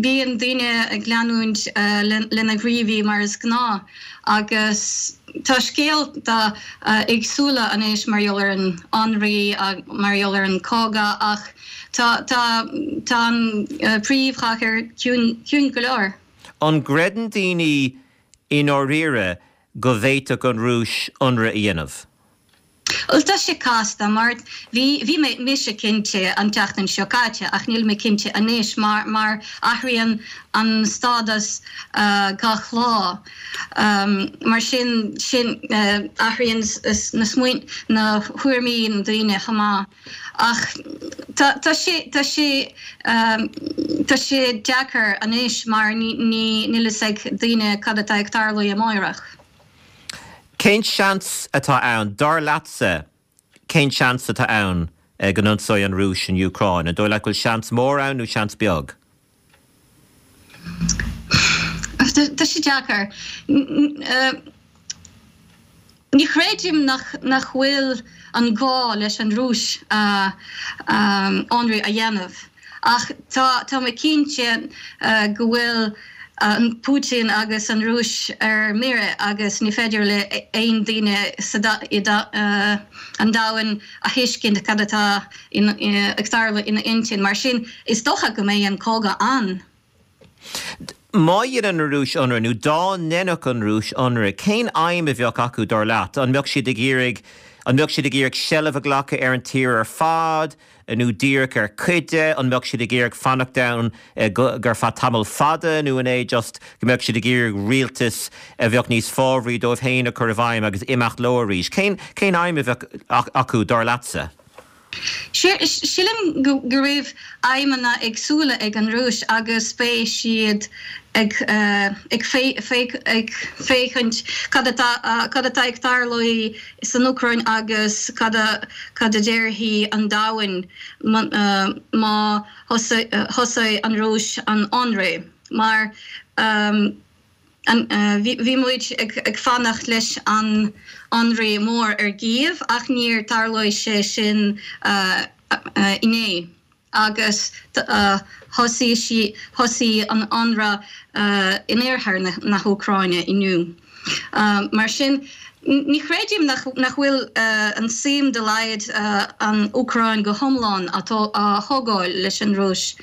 bíonn daoine ag leanúint lena ngníomhaí mar is gnáth agus tá scéalta éagsúla anois mar gheall ar an ionradh, mar gheall ar an cogadh ach tá tá tá an príomhchathair ciúin go leor.
An gcreideann daoine i ndáiríre go bhféadfadh an Rúis ionradh a dhéanamh?
Bhuel, tá sé casta mar bhí, bhí mé, mise cinnte an tseachtain seo caite ach níl mé cinnte anois mar, mar athraíonn an stádas gach lá. Mar sin, sin, athraíonn na smaoin, na thuairimí na daoine chomh maith. Ach tá, tá sé, tá sé, tá sé deacair anois mar ní, ní, níl fhios ag daoine cad atá ag tarlú amáireach.
Cén seans atá ann, dar leatsa, cén seans atá ann go n-ionsóidh an Rúis an Úcráin? An dóigh leat go bhfuil seans mór ann nó seans beag?
Tá sé deacair. Ní chreidim nach bhfuil an gá leis an Rúis ionradh a dhéanamh. Ach tá tá mé cinnte go bhfuil an Putin agus an Rúis ar mire agus ní féidir le aon duine sa an domhan a thuiscint cad atá ag tarlú ina intinn. Mar sin, is dócha go mbeidh an cogadh ann.
Má dhéanann an Rúis ionradh, nó dá ndéanfadh an Rúis ionradh, cén aidhm a bheadh acu, dar leat? An mbeadh siad ag iarraidh, an mbeadh siad ag iarraidh seilbh a ghlacadh ar an tír ar fad, nó díreach ar chuid de? An mbeadh siad ag iarraidh fanacht ann ar feadh tamall fada, nó an é just go mbeadh siad ag iarraidh rialtas a bheadh níos fábhraí dóibh féin a chur i bhfeidhm agus imeacht leo arís? Cén, cén aidhm a bheadh acu, dar leatsa?
Sílim go raibh aidhmeanna éagsúla ag an Rúis agus beidh siad ag féachaint cad atá cad atá ag tarlú san Úcráin agus cad a cad a déarfaidh an domhan má thosaigh an Rúis an ionradh mar Bhí muid ag fanacht leis an ionradh mór ar gCív ach níor tarlóidh sé sin inné agus thosaigh thosaigh an ionradh in oirthear na hÚcráine inniu. Mar sin, ní chreidim nach bhfuil an suim dá laghad an Úcráin go hiomlán a thógáil leis an Rúis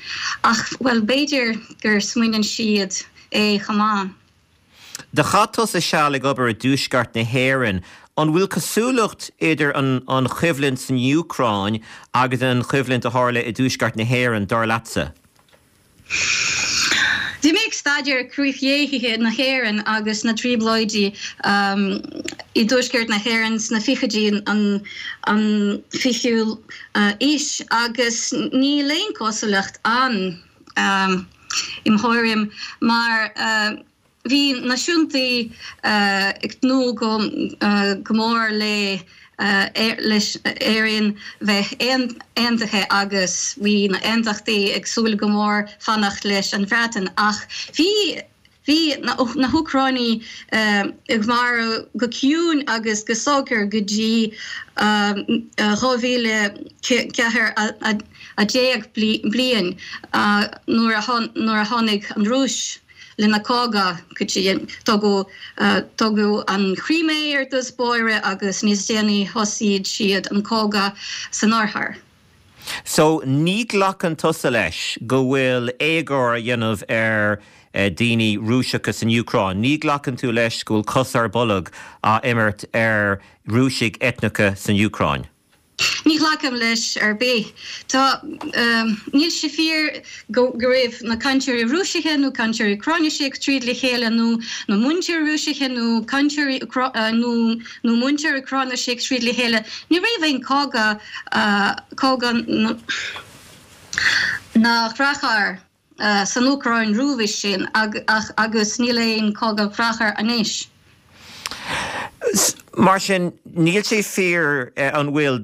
ach, bhuel, b'fhéidir gur smaoineann siad é chomh maith.
Do chaith tusa seal ag obair i dtuaisceart na hÉireann. An bhfuil cosúlacht idir an choimhlint san Úcráin agus an choimhlint a tharla i dtuaisceart na hÉireann, dar leatsa?
Bhí mé ag staidéar críochdheighilte na hÉireann agus na trioblóidí i dtuaisceart na hÉireann sna fichidí an fichiú aois agus níl aon cosúlacht ann. I mo thuairim, mar bhí náisiúntaí ag tnúth go mór le leis Éirinn bheith aontaithe agus bhí na aontachtaí ag súil go mór fanacht leis an Bhreatain ach bhí Bhí na hÚcránaigh ag maireachtáil go ciúin agus go socair go dtí 2014 bliain nuair a tháinig an Rúis lena cogadh go dtí tógadh an Chrimé ar dtús báire agus níos déanaí thosaigh siad an cogadh san oirthear.
So, ní ghlacann tusa leis go bhfuil éagóir á dhéanamh ar daoine Rúiseacha san Úcráin? Ní ghlacann tú leis go bhfuil cos ar bolg á imirt ar Rúisigh eitneacha san Úcráin?
Ní ghlacaim leis ar bith. Tá, níl sé fíor go raibh na cainteoirí Rúisise nó cainteoirí Úcráinise ag troid le chéile nó na múinteoirí Rúisise nó cainteoirí nó nó múinteoirí Úcráinise ag troid le chéile. Ní raibh aon cogadh, cogadh na ndearthár san Úcráin roimhe sin agus níl aon cogadh dearthár anois.
Mar sin, níl sé fíor, an bhfuil,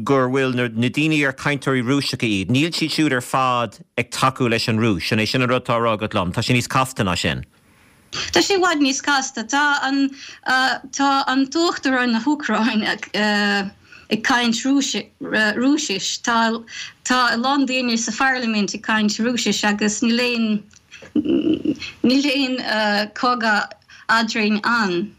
gur bhfuil na daoine ar cainteoirí Rúiseacha iad, níl siad siúd ar fad ag tacú leis an Rúis, an é sin an rud atá á rá agat liom? Tá sé níos casta ná sin.
Tá sé i bhfad níos casta. Tá an tá an tUachtarán na hÚcráine ag caint Rúisis. Tá tá a lán daoine sa pharlaimint ag caint Rúisis agus níl aon níl aon cogadh eadrainn ann.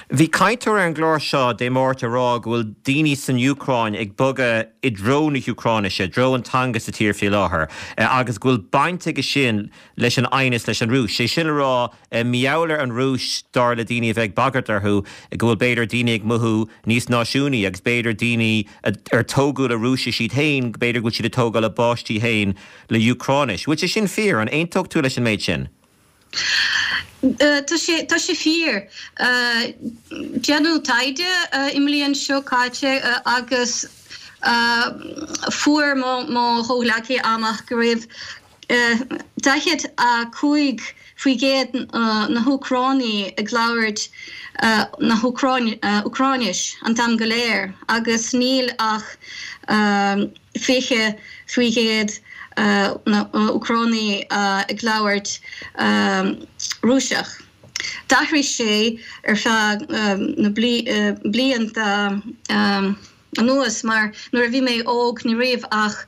Bhí cainteoir ar an gclár seo Dé Máirt ag rá go bhfuil daoine san Úcráin ag bogadh i dtreo na hÚcráinise, i dtreo an teanga sa tír faoi láthair agus go bhfuil baint aige sin leis an aighneas leis an Rúis. Sé sin le rá, mar gheall ar an Rúis, dar le daoine a bheith ag bagairt orthu, go bhfuil b'fhéidir daoine ag mothú níos náisiúnaí agus b'fhéidir daoine ar tógadh le Rúisis iad féin, b'fhéidir go bhfuil siad ag tógáil a bpáistí féin le Úcráinis. Bhfuil sé sin fíor? An aontódh tú leis an méid sin?
Tá sé, tá sé fíor. Déanadh taighde i mbliain seo caite agus fuair mo chomhghleacaí amach go raibh 45% na hÚcránaigh ag labhairt na hÚcráinis an t-am go léir agus níl ach 20% na Úcránaigh ag labhairt Rúiseach. D'athraigh sé ar feadh na blianta anuas mar nuair a bhí mé óg ní raibh ach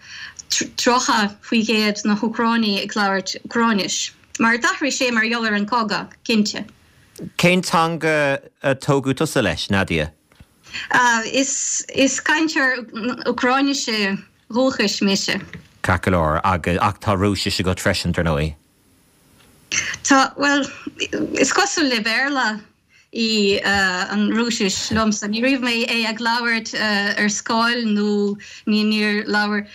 30% na hÚcránaigh ag labhairt Úcráinis. Mar d'athraigh sé mar gheall ar an cogadh, cinnte.
Cén teanga a tógadh tusa leis, Nadia?
Is cainteoir Úcráinise dhúchais mise.
Ceart go leor, ach tá Rúisis agat freisin, dar ndóigh.
Tá, bhuel, is cosúil le Béarla í an Rúisis liomsa. Ní raibh mé é ag labhairt ar scoil nó níor labhair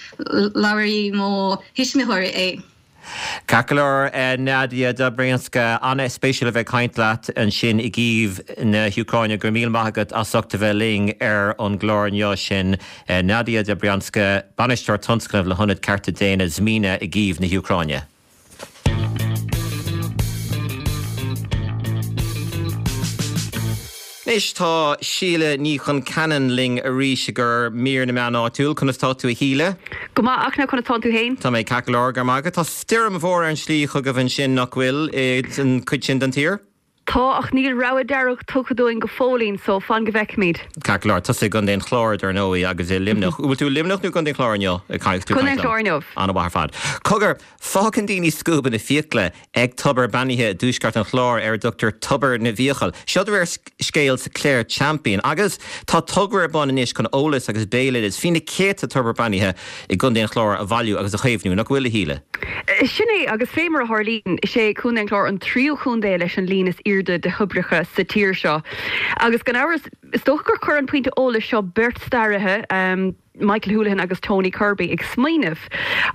labhair mo thuismitheoirí é.
Ceart go leor, Nadia Dobrianska, an-spéisiúil a bheith ag caint leat ansin i gCív na hÚcráine. Go raibh míle maith agat as ucht a bheith linn ar an gclár inniu. Sin Nadia Dobrianska, Bainisteoir Tionscnaimh le hIonad Cearta Daonna Zmina i gCív na hÚcráine. Anois tá Síle Ní Chonceanainn linn arís i gcomhair mír na meán áitiúil. Conas tá tú a Shíle?
Go maith, Fhachtna, conas tánn tú fhéin?
Tá mé ceart go leor, go raibh maith agat. Tá stoirm mhór ar an slí chugaibh ansin, nach bhfuil, i an cuid sin den tír?
Tá, ach níl rabhadh dearg tugtha dúinn go fóillín, so fan go bhfeicfimid.
Ceart go leor. Tusa i gContae an Chláir, dar ndóigh, agus i Luimneach. Bhfuil tú i Luimneach nó i gContae an Chláir inniu?
Contae an Chláir inniu.
An-mhaith ar fad. Cogar, fágann daoine scuabanna fiacla ag tobar beannaithe i dtuaisceart an Chláir ar a dtugtar Tobar na bhFiacal. Seo de réir scéil sa Clare Champion. Agus tá togra ar bun anois chun eolas agus béaloideas faoi na céadta tobar beannaithe i gContae an Chláir a bhailiú agus a chaomhnú, nach bhfuil, a Shíle?
Sin é, agus fé mar a tharlaíonn, is é Contae an Chláir an tríú chontae leis an líon is airde de thoibreacha sa tír seo. Agus gan amhras, is dócha gur chuir an pointe eolais seo beirt staraithe, Michael Houlihan agus Tony Kirby ag smaoineamh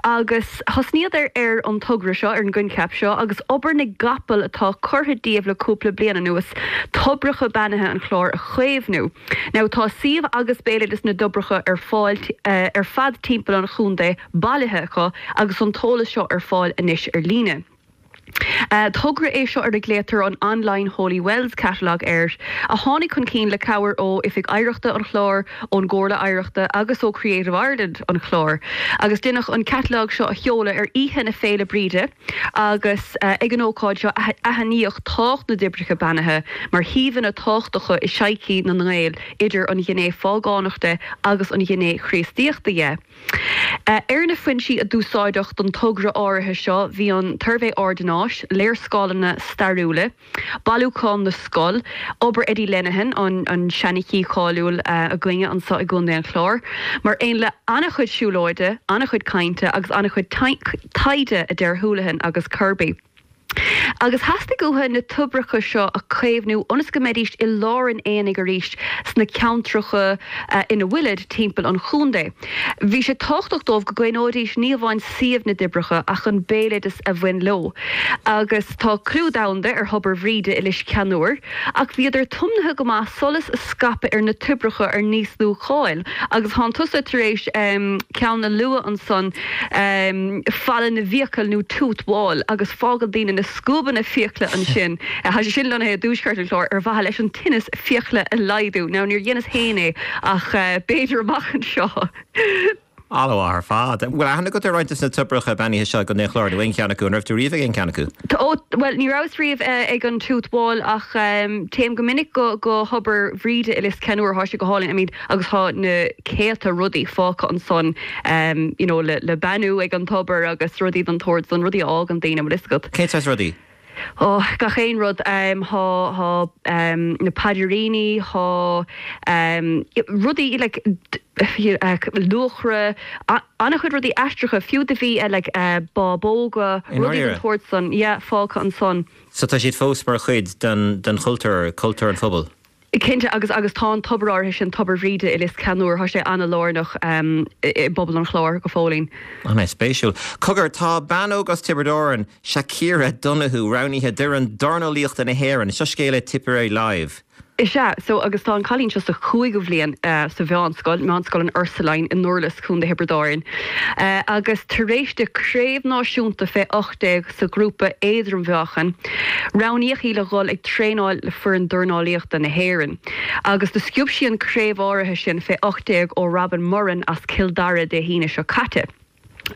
agus thosnaíodar ar an togra seo, ar an gcoincheap seo agus obair na gcapall atá curtha díobh le cúpla bliain anuas, toibreacha beannaithe an Chláir a chaomhnú. Now tá suíomh agus béaloideas na dtoibreacha ar fáil ar fad timpeall an chontae bailithe acu agus an t-eolas seo ar fáil anois ar líne. Togra é seo ar a nglaotar an Online Holy Wells Catalogue air, a tháinig chun cinn le cabhair ó Oifig Oidhreachta an Chláir, ón gComhairle Oidhreachta agus ó Creative Ireland an Chláir. Agus deineadh an catalóg seo a sheoladh ar oíche na Féile Bríde agus ag an ócáid seo aithníodh tábhacht na dtoibreacha beannaithe mar shuíomhanna tábhachtacha i sochaí na nGael idir an ghné phágánach de agus an ghné Chríostaíochta dhe. Ar na foinsí a d'úsáideadh don togra áirithe seo bhí an tSuirbhé Ordanáis, léarscáileanna stairiúla, Bailiúchán na Scol, obair Eddie Lenihan, an seanchaí cáiliúil againne anseo i gContae an Chláir, mar aon le an-chuid siúlóide, an-chuid cainte agus an-chuid taighde, a deir Houlihan agus Kirby. Agus theastaigh uathu na toibreacha seo a chaomhnú ionas go mbeidís i lár an aonaigh arís sna ceantracha ina bhfuilid timpeall an chontae. Bhí sé tábhachtach dóibh go gcaomhnóidís ní amháin suíomh na dtoibreacha ach an béaloideas a bhain leo. Agus tá clú domhanda ar Thobar Bhríde i Lios Ceannúir, ach bhíodar tiomnaithe go maith solas a scaipeadh ar na toibreacha ar níos lú cáil. Agus thánn tusa tar éis ceann a lua ansan. Falla na bhFiacal nó Tooth Wall agus fágann daoine na scuabanna fiacla ansin. Tá sé sin lonnaithe i dtuaisceart an Chláir ar mhaithe leis an tinneas fiacla a laghdú. Now níor dheineas féin é ach b'fhéidir amach anseo.
An-mhaith ar fad. Bhfuil aithne agat ar roinnt de na toibreacha beannaithe seo i gContae an Chláir nó aon cheann acu? An raibh tú riamh ag aon cheann acu?
Ó, bhuel, ní rabhas riamh ag an Tooth Wall ach téim go minic go go Thobar Bhríde i Lios Ceannúir, thá sé go hálainn, I mean, agus thá na céadta rudaí fágtha ansan you know le le beannú ag an tobar agus rudaí den tsórt san, rudaí a fhágann daoine, an bhfuil fhios agat.
Cén saghas rudaí?
Ó, gach aon rud. Thá, thá na paidríní, thá rudaí like luachra, an-chuid rudaí aisteacha, fiú do bhí like bábóga, rudaí den tsórt san, yeah, fágtha ansan.
So tá siad fós mar chuid den chultúr, cultúr an phobail?
Cinnte, agus agus tá an tobar áirithe sin, Tobar Bhríde i Lios Ceannúir, tá sé an-lárnach i bpobal an Chláir go fóillín.
An-spéisiúil. Cogar, tá bean óg as Tiobraid Árann, Shakira Donoghue, roghnaithe d'fhoireann dornálaíochta na hÉireann. Seo scéal ó Tipperary Live.
Is ea, so agus tá an cailín seo sa chúigiú bhliain sa mheánscoil, Meánscoil an Ursuline i nDurlas, Contae Thiobraid Árann, agus tar éis di craobh náisiúnta fé 18 sa ghrúpa éadrom-mheáchain. Roghnaíodh í le dhul ag traenáil le foireann dornálaíochta na hÉireann. Agus do sciob sí an craobh áirithe sin fé 18 ó Robin Moran as Cill Dara Dé hAoine seo caite.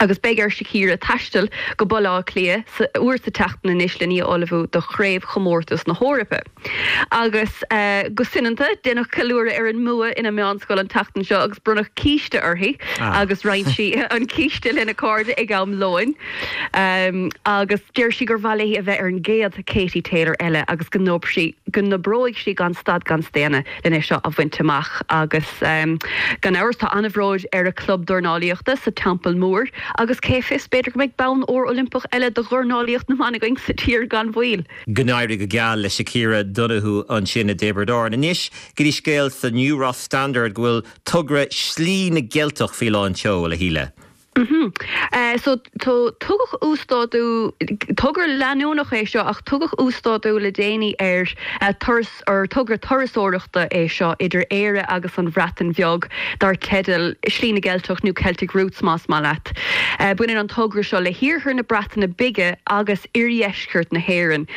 Agus beidh ar Shakira taisteal go Baile Átha Cliath uair sa tseachtain anois len í a ullmhú do Chraobhchomórtas na hEorpa. Agus go soineanta, deineadh ceiliúradh ar an mbua ina meánscoil an tseachtain seo agus bronnadh císte uirthi agus roinn sí an císte lena cairde ag am lóin. Agus deir sí gur mhaith léi a bheith ar an gcéad Katie Taylor eile agus go n-oibreoidh sí gan stad gan staonadh len é seo a bhaint amach. Agus gan amhras tá an-bhród ar a club dornálaíochta sa Teampall Mór agus cé fios, b'fhéidir go mbeidh bonn óir Oilimpeach eile do dhornálaíocht na mban againn sa tír gan mhoill.
Go n-éirí go geal le Shakira Donoghue ansin i dTiobraid Árann. Anois go dtí scéal sa New Ross Standard go bhfuil togra Slí na gCeilteach faoi lán tseoil, a Shíle.
So, tugadh uasdátú, togra leanúnach é seo ach tugadh uasdátú le déanaí ar turas, ar togra turasóireachta é seo idir Éire agus an Bhreatain Bheag dar teideal Slí na gCeilteach nó Celtic Routes más maith leat. Baineann an togra seo le hiarthar na Breataine Bige agus oirdheisceart na hÉireann.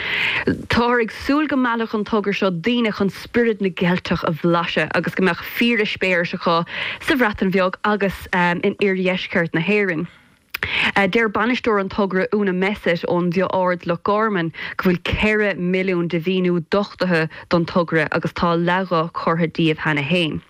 Táthar ag súil go meallfadh an togra seo daoine chun spiorad na gCeilteach a bhlaiseadh agus go mbeadh fíoreispéiris acu sa Bhreatain Bheag agus in oirdheisceart na hÉireann. Deir bainisteoir an togra Una Messett ón Bhioth Ard, Loch Garman, go bhfuil 4 milliún de mhaoiniú duchtaithe don togra agus tá leath dho curtha díobh cheana féin.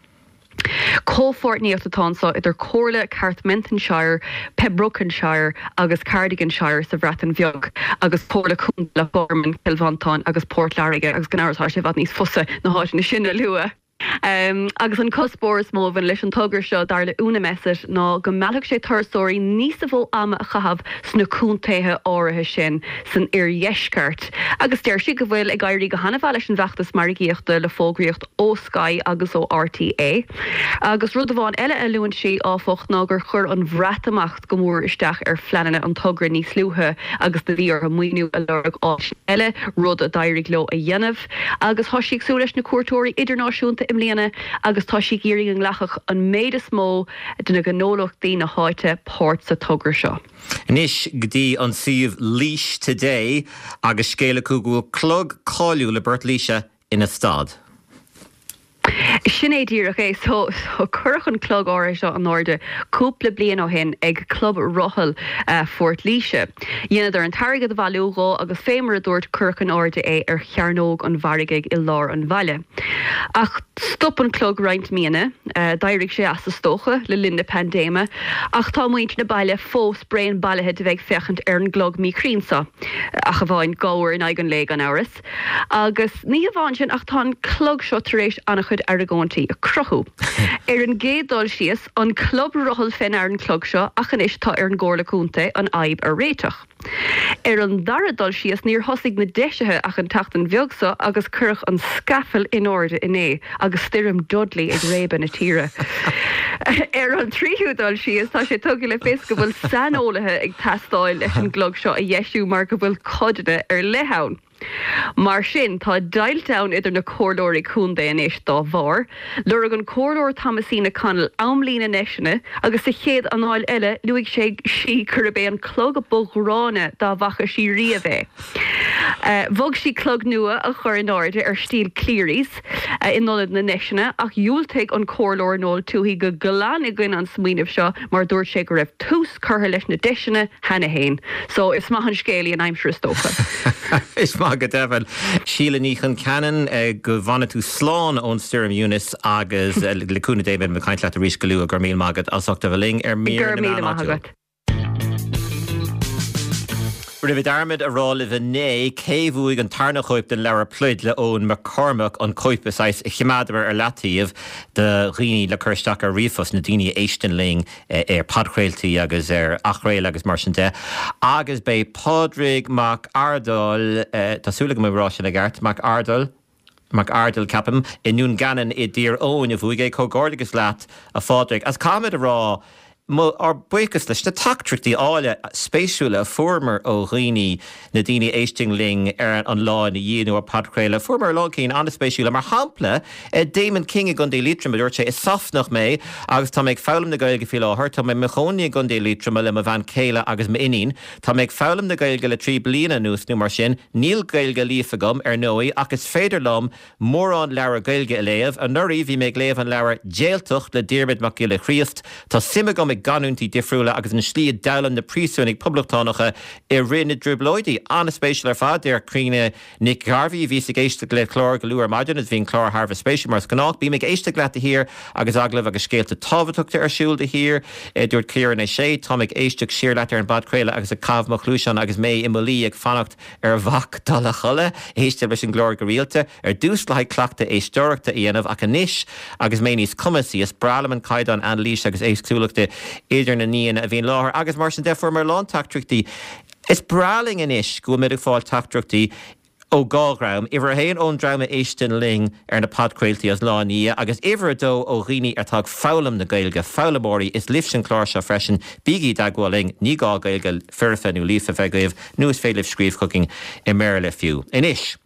Comhpháirtníocht atá anseo idir Comhairle Carmarthenshire, Pembrokeshire agus Cardiganshire sa Bhreatain Bheag agus Comhairle Contae Loch Garman, Cill Mhantáin agus Port Láirge agus gan amhras tá sé i bhfad níos fusa na háiteanna sin a lua. Agus an cuspóir is mó a bhain leis an togra seo, dar le Una Messett, ná go meallfadh sé turasóirí níosa mhó ama a chaitheamh sna contaetha áirithe sin san oirdheisceart. Agus deir sí go bhfuil ag éirí go han-mhaith leis an bhfeachtas margaíochta le fógraíocht ó Sky agus ó RTÉ. Agus rud amháin eile a luann sí, áfach, ná gur chuir an Bhreatimeacht go mór isteach ar phleananna an togra níos luaithe agus do bhí orthu maoiniú a lorg áit eile, rud a d'éirigh leo a dhéanamh. Agus tá sí ag súil leis na cuairteoirí idirnáisiúnta i mbliana agus tá sí ag iarraidh go nglacfadh an méid is mó de na gnólachtaí na háite páirt sa togra seo.
Anois go dtí an suíomh Laois Today agus scéal acu go bhfuil clog cáiliúil i bPort Laoise ina stad.
Sin é díreach é. So, cuireadh an clog áirithe seo in airde cúpla bliain ó shin ag Club Rothal Phort Laoise. Dheineadar an t-airgead a bhailiú dhó agus fé mar a dúirt cuireadh in airde é ar Chearnóg an Mhargaidh i lár an bhaile. Ach stop an clog roinnt míonna, d'éirigh sé as is dócha, le linn na paindéime, ach tá muintir na baile fós bréan bailithe de bheith ag féachaint ar an gclog míchruinn seo, ach amháin dhá uair in aghaidh an lae gan amhras. Agus ní hamháin sin ach tá an clog seo tar éis an-chuid argóintí a cruthú. Ar an gcéad dul síos, an club rothal fé ndear an clog seo ach anois tá ar an gComhairle Contae an fhadhb a réiteach. Ar an dara dul síos, níor thosaigh na deisithe ach an tseachtain bheag seo agus cuireadh an scafall in airde inné agus stoirm Dudley ag réabadh na tíre. Ar an tríú dul síos, tá sé tugtha le fios go bhfuil saineolaithe ag teastáil leis an gclog seo a dheisiú mar go bhfuil codanna ar leith ann.
Mar sin, tá deighilt ann idir na comhairleoirí contae anois dá bharr. Lorg an Comhairleoir Thomasina Connell amlíne na ndeiseanna agus sa chéad anáil eile luaigh sé, sí gurb é an clog ba ghránna dá bhfaca sí riamh é. Mhol sí clog nua a chur in airde ar stíl Cleary's in ionad na ndeiseanna ach dhiúltaigh an Comhairleoir Noel Tuohy go glan i gcoinne an smaoinimh seo mar dúirt sé go raibh tús curtha leis na deiseanna cheana fhéin. So is maith an scéalaí an aimsir is dócha.
Is maith go deimhin. Síle Ní Chonceanainn, go bhfana tú slán ón stoirm Eunice agus le cúnamh Dé beidh mé ag caint leat arís go luath. Go raibh míle maith agat as ucht a bheith linn ar
Mír
na
Go raibh
Meán
míle maith
Áitiúil.
agat.
Rinne mé dearmad a rá libh inné cé bhuaigh an tarna chóip den leabhar Pluid le Eoin McCormack, an cóip is saghas a choimeádamar ar leataobh do dhaoine le cur isteach ar ríomhphost, na daoine a éisteann linn ar podchraoltaí agus ar athchraoladh agus mar sin de. Agus b'é Pádraig Mac Ardail, tá súil agam ag rá sin i gceart, Mac Ardail, Mac Ardail, ceapaim, i nDún Geanainn i dTír Eoghain a bhuaigh é. Comhghairdeachas leat, a Phádraig. Agus caithfimid a rá, mo, ár buíochas leis na teachtaireachtaí áille, spéisiúla a fuaireamar ó dhaoine, na daoine a éisteann linn ar an lá ina dhiaidh nó ar podchraoladh. Fuaireamar a lán cinn an-spéisiúla. Mar shampla, Damon King i gContae Liatroma, a dúirt sé, Is Sasanach mé agus tá mé ag foghlaim na Gaeilge faoi láthair. Tá mé i mo chónaí i gContae Liatroma le mo bhean chéile agus m'iníon. Tá mé ag foghlaim na Gaeilge le 3 bliana anuas nó mar sin. Níl Gaeilge líofa agam, ar ndóigh, ach is féidir liom mórán leabhar Gaeilge a léamh. Anuraidh bhí mé ag léamh an leabhair Jailtacht le Diarmuid Mac Giolla Chríost. Tá suim agam i gcanúintí difriúla agus an slí a d'fhoghlaim na príosúnaigh poblachtánacha i rith na dTrioblóidí. An-spéisiúil ar fad, deir Críona Nic Ghairbhí, Bhíos ag éisteacht le clár go luath ar maidin agus bhí an clár thar a bheith spéisiúil mar is gnách. Bím ag éisteacht leat de shíor agus agallaimh agus scéalta tábhachtachta ar siúl de shíor, a dúirt Ciaran Ó Sé. Táim ag éisteacht siar leat ar an bpodchraoladh agus ag caitheamh mo chluaiseán agus mé i mo luí ag fanacht ar mhac dul a chodladh. Éistim leis an gclár go rialta, ar dtús le haghaidh cleachtadh éisteoireachta a dhéanamh ach anois agus mé níos cumasaí, is breá liom an caighdeán anailíse agus éagsúlachta idir na n-aíonna a bhíonn i láthair agus mar sin de fuaireamar a lán teachtaireachtaí. Is breá linn anois go bhfuil muid ag fáil teachtaireachtaí ó dhá dhream, uimhir a haon ón dream a éisteann linn ar na podchraoltaí an lá ina dhiaidh agus uimhir a dó ó dhaoine atá ag foghlaim na Gaeilge, foghlaimeoirí. Is libhse an clár seo freisin, bígí i dteagmháil linn, ní gá Gaeilge foirfe nó líofa bheith agaibh nó is féidir libh scríobh chugainn i mBéarla fiú. Anois.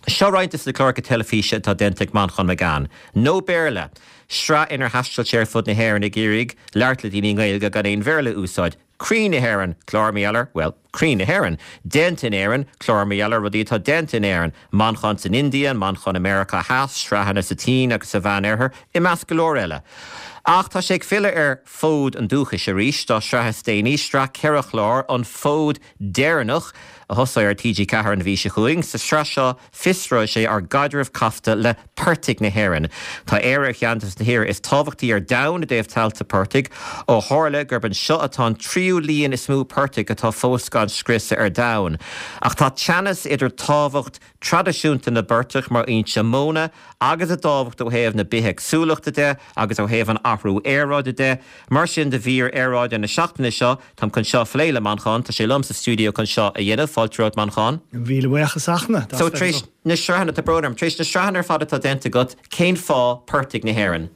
Seo roinnt de na cláracha teilifíse atá déanta ag Manchán Magan. No Béarla! Sraith inar thaistil sé ar fud na hÉireann ag iarraidh labhairt le daoine i nGaeilge gan aon Bhéarla a úsáid. Croí na hÉireann, clár mar gheall ar, bhuel, croí na hÉireann. Déanta in Éirinn, clár mar gheall ar rudaí atá déanta in Éirinn. Manchán san India, Manchán i Meiriceá Theas, sraitheanna sa tSín agus sa Mheán-Oirthear, i measc go leor eile. Ach tá sé ag filleadh ar fód an dúchais arís dá shraith is déanaí, sraith cheithre chlár, An Fód Deireanach, a thosóidh ar TG4 an mhí seo chugainn. Sa tsraith seo, fiosróidh sé ár gcaidreamh casta le portaigh na hÉireann. Tá Éire ar cheann de na tíortha is tábhachtaí ar domhan i dtaobh tailte portaigh, ó tharla gurb anseo atá an tríú líon is mó portaigh atá fós gan scriosadh ar domhan. Ach tá teannas idir tábhacht traidisiúnta na bportach mar fhoinse móna agus a dtábhacht ó thaobh na bithéagsúlachta de agus ó thaobh an athrú aeráide de. Mar sin do mhír aeráide na seachtaine seo, táim chun seo a phlé le Manchán. Tá sé liom sa stiúideo chun seo a dhéanamh. Fáilte romhat, Manchán.
Míle buíochas, a Fhachtna.
So, tar éis na sraitheanna, tá brón orm, tar éis na sraitheanna ar fad atá déanta agat, cén fáth portaigh na hÉireann?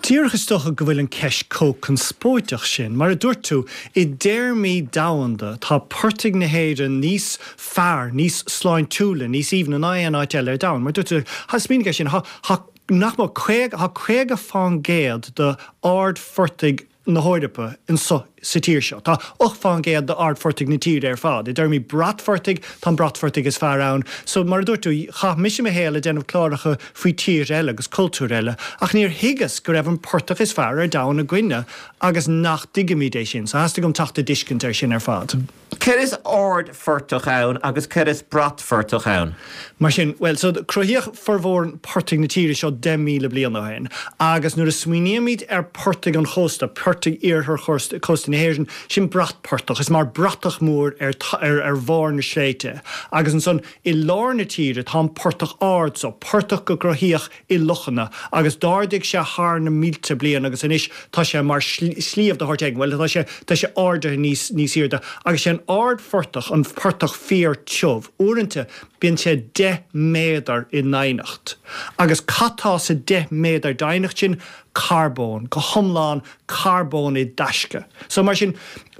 Díreach is dócha go bhfuil an ceist chomh conspóideach sin. Mar a dúirt tú, i dtéarmaí domhanda, tá portaigh na hÉireann níos fearr, níos sláintiúla, níos aoibhne ná aon áit eile ar domhan. Mar a dúirt tú, smaoinigh air sin, tá nach mór 50, tá 50 fán gcéad d'ardphortaigh na hEorpa anso sa tír seo. Tá 8 fán gcéad d'ardphortaigh na tíre ar fad. I dtéarmaí bratphortaigh, tá an bratphortaigh is fearr ann. So, mar a dúirt tú, chaith mise mo shaol ag déanamh cláracha faoi tíortha eile agus cultúir eile, ach níor thuigeas go raibh an portach is fearr ar domhan againne agus nach dtuigimid é sin. So, theastaigh uaim teacht i dtuiscint air sin ar fad.
Céard is ardphortach ann agus céard is bratphortach ann?
Mar sin, bhuel, so cruthaíodh formhór portaigh na tíre seo 10,000 bliain ó shin agus nuair a smaoinímid ar portaigh an chósta, portaigh iarthar chósta na hÉireann, sin bratphortach, is mar bratach mór ar ar bharr na sléibhte. Agus ansan i lár na tíre tá an portach ard so, portach go gcruthaíodh i lochanna agus d'ardaigh sé thar na mílte bliain agus anois tá sé mar shliabh de shórt éigin, bhuel tá sé, tá sé ardaithe níos, níos airde agus sé an ardphortach an portach fíor tiubh. Uaireanta bíonn sé 10 méadar i ndoimhneacht agus cad tá sa 10 méadar doimhneacht sin? Carbón, go hiomlán carbón i dtaisce. So mar sin,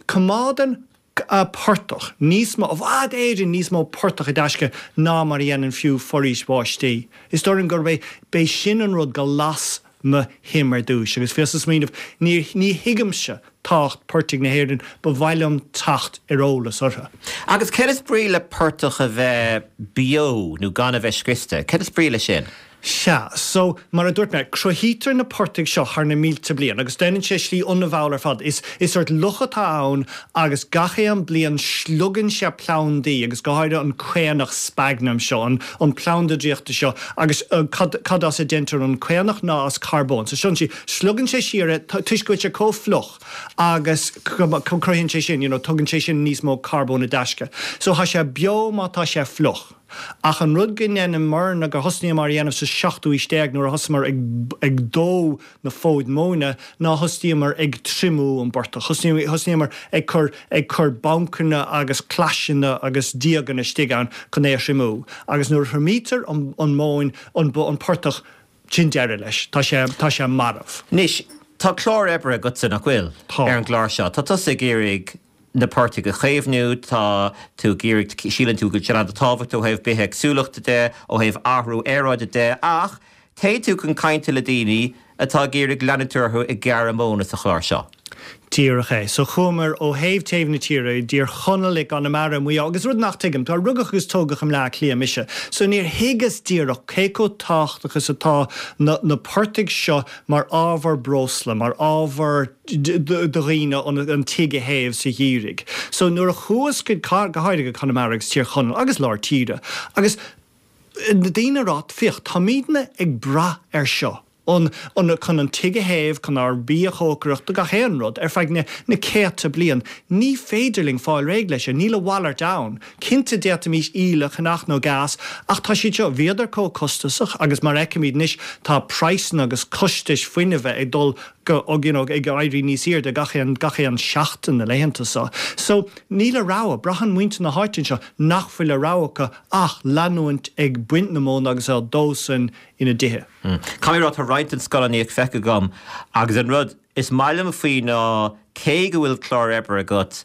coimeádann. portach níos mó, i bhfad Éireann níos mó portach i dtaisce ná mar a dhéanann fiú foraois bháistí. Is dóigh liom gurb é, b'é sin an rud go las mo shuim ar dtúis agus bhíos ag smaoineamh, ní, ní thuigimse tábhacht portaigh na hÉireann, ba mhaith liom teacht ar eolas orthu.
Agus céard is brí le portach a bheith beo nó gan a bheith scriosta? Céard is brí leis sin?
Sea, so, mar a dúirt mé, cruthaítear na portaigh seo thar na mílte bliain agus déanann sé slí ionramháil ar fad. Is, is sórt loch atá ann agus gach aon bliain sliogann sé plandaí agus go háirithe an caonach sphagnum seo, an, an planda draíochta seo agus cad, cad as a deintear an caonach ná as carbón. So sin sí, sliogann sé siar é toisc go bhfuil sé chomh fliuch agus cruthaíonn sé sin, you know, tugann sé sin níos mó carbóin i dtaisce. So tá sé beo má tá sé fliuch. Ach an rud go ndeineamarna, gur thosnaíomar a dhéanamh sa seachtú aois déag nuair a thosaíomar ag ag dó na fóid móna ná thosnaíomar ag triomú an bportach. Thosnaíomar ag cur ag cur bancanna agus claiseanna agus díoganna istigh ann chun é a thriomú. Agus nuair a thriomaítear an an mhóin, an an portach, sin deireadh leis. Tá sé tá sé marbh.
Anois, tá clár oibre agatsa, nach bhfuil?
Tá.
Ar an gclár seo. Tá tusa ag iarraidh na portaigh a chaomhnú, tá tú ag iarraidh, síleann tú go bhfuil siad an-tábhachtach ó thaobh bithéagsúlachta de, ó thaobh athrú aeráide de, ach téann tú chun cainte le daoine atá ag iarraidh leanúint orthu ag gearradh móna sa chlár seo.
Díreach é. So chuamar ó thaobh taobh na tíre, i dTír Chonaill, i gConamara, i Maigh Eo, agus rud nach tuigim, tá rugadh agus tógadh i mBleá Cliath mise, so níor thuigeas díreach cé chomh tábhachtach is atá na na portaigh seo mar ábhar breosla, mar ábhar do dhaoine an tigh a théamh sa gheimhreadh. So nuair a chuas go, go háirithe go Conamara agus Tír Chonaill agus lár tíre, agus na daoine ag rá, féach, táimidne ag brath air seo, an, an, chun an tigh a théamh, chun ár bia a chócaireacht, do gach aon rud, ar feadh na, na céadta bliain. Ní féidir linn fáil réidh leis seo, níl a mhalairt ann. Cinnte d'fhéadfaimis íle a cheannach nó gás, ach tá siad seo, bhíodar chomh costasach agus mar a fheicimid anois tá praghsanna agus costais fuinnimh ag dul go, you know, ag éirí níos airde gach aon, gach aon seachtain na laethanta seo. So, níl a rogha, braitheann muintir na háite anseo nach bhfuil a rogha acu ach leanúint ag baint na móna agus á dó san ina dtithe.
Caithfidh mé a rá, tá roinnt den scannánaíocht feicthe agam agus an rud is maith liom faoi ná cé go bhfuil clár oibre agat,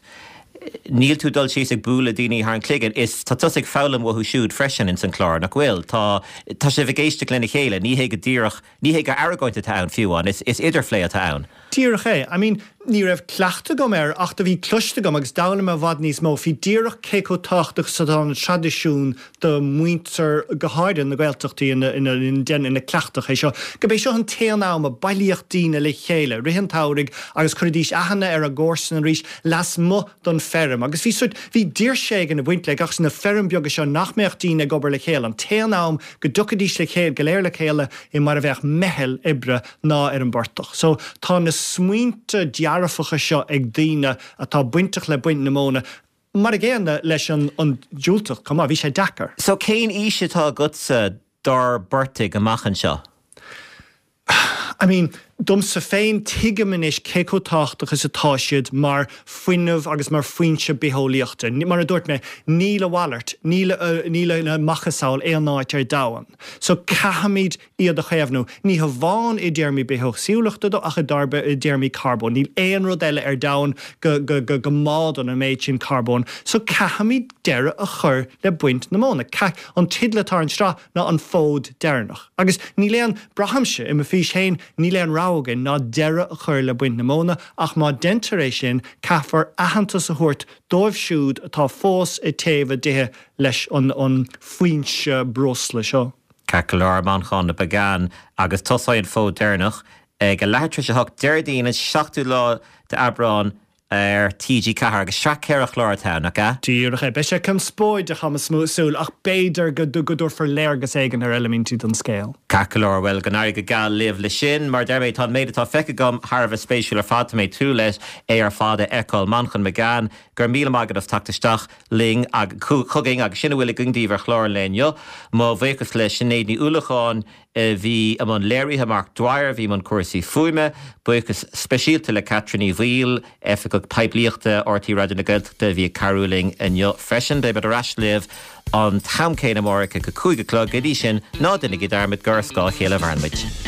níl tú ag dul síos ag bualadh daoine thar an chloigeann, is tá tusa ag foghlaim uathu siúd freisin ins an chlár, nach bhfuil? Tá, tá sibh ag éisteacht lena chéile, ní hé go díreach, ní hé gur argóint atá ann fiú amháin, is, is idirphlé atá ann.
Díreach é. I mean, ní raibh cleachtadh agam air ach do bhí cloiste agam agus d'fhoghlaim mé i bhfad níos mó faoi díreach cé chomh tábhachtach is atá na traidisiúin do mhuintir, go háirithe na Gaeltachtaí ina ina cleachtadh é seo, gurb é seo an t-aon am a bailíodh daoine le chéile i rith an tsamhraidh agus chuiridís aithne ar a gcomharsana arís lasmuigh don feirm agus bhí sórt, bhí daoirse éigin ag baint le gach sna feirm beaga seo nach mbeadh daoine ag obair le chéile, an t-aon am go dtiocfaidís le chéile, go léir le chéile i mar a bheadh meitheal oibre ná ar an bportach. So tá na smaointe dearfacha seo ag daoine atá bainteach le baint na móna, mar a gcéanna leis an an diúltacht chomh maith. Bhí sé deacair.
So cén fhís atá agatsa dár bportaigh amach anseo?
I mean, domsa féin, tuigim anois cé chomh tábhachtach is atá siad mar fuinneamh agus mar foinse bitheolaíochta. Mar a dúirt mé, níl a mhalairt, níl níl a macasamhail aon áit ar domhan. So caithfimid iad a chaomhnú, ní hamháin i dtéarmaí bithéagsúlachta de ach i dtéarmaí carbóin. Níl aon rud eile ar domhan go go go go mbádann an méid sin carbóin. So caithfimid deireadh a chur le baint na móna. Caith, an teideal atá ar an tsraith ná an fód deireanach. Agus níl aon, braithimse, i mo fhís féin, níl aon rogha againn ná deireadh a chur le baint na móna ach má deintear é sin caithfear aitheantas a thabhairt dóibh siúd atá fós ag téamh a dtithe leis an an foinse breosla seo.
Ceart go leor, Manchán Magan, agus tosóidh an fód deireanach ag a leathuair tar éis a hocht Déardaoin an 7ú lá d'Aibreán ar TG4 agus sraith ceithre chlár atá ann, nach ea?
Díreach é. Beidh sé conspóideach, tá mé ag súil, ach b'fhéidir go dtabharfar léargas éigin ar eilimintí den scéal.
Ceart go leor, bhuel, go n-éirí go geal libh le sin. Mar a deir mé, tá an méid atá feicthe agam thar a bheith spéisiúil ar fad, tá mé ag tnúth leis é ar fad a fheiceáil. Manchán Magan, go raibh míle maith agat as teacht isteach. linn chugainn agus sin a bhfuil againn daoibh ar chlár an lae inniu. Mo bhuíochas le Sinéad Ní Uallacháin a bhí i mbun léirithe, Mark Dwyer a bhí i mbun cúrsaí fuaime. Buíochas speisialta le Catherine Ní Bhaoill, Oifigeach Poiblíochta RTÉ Raidió na Gaeltachta a bhí ag cabhrú linn inniu freisin. Beidh muid ar ais libh an t-am céanna amárach ag a 5 a chlog. Go dtí sin, ná déanaigí dearmad gur ar scáth a chéile a mhaireann muid.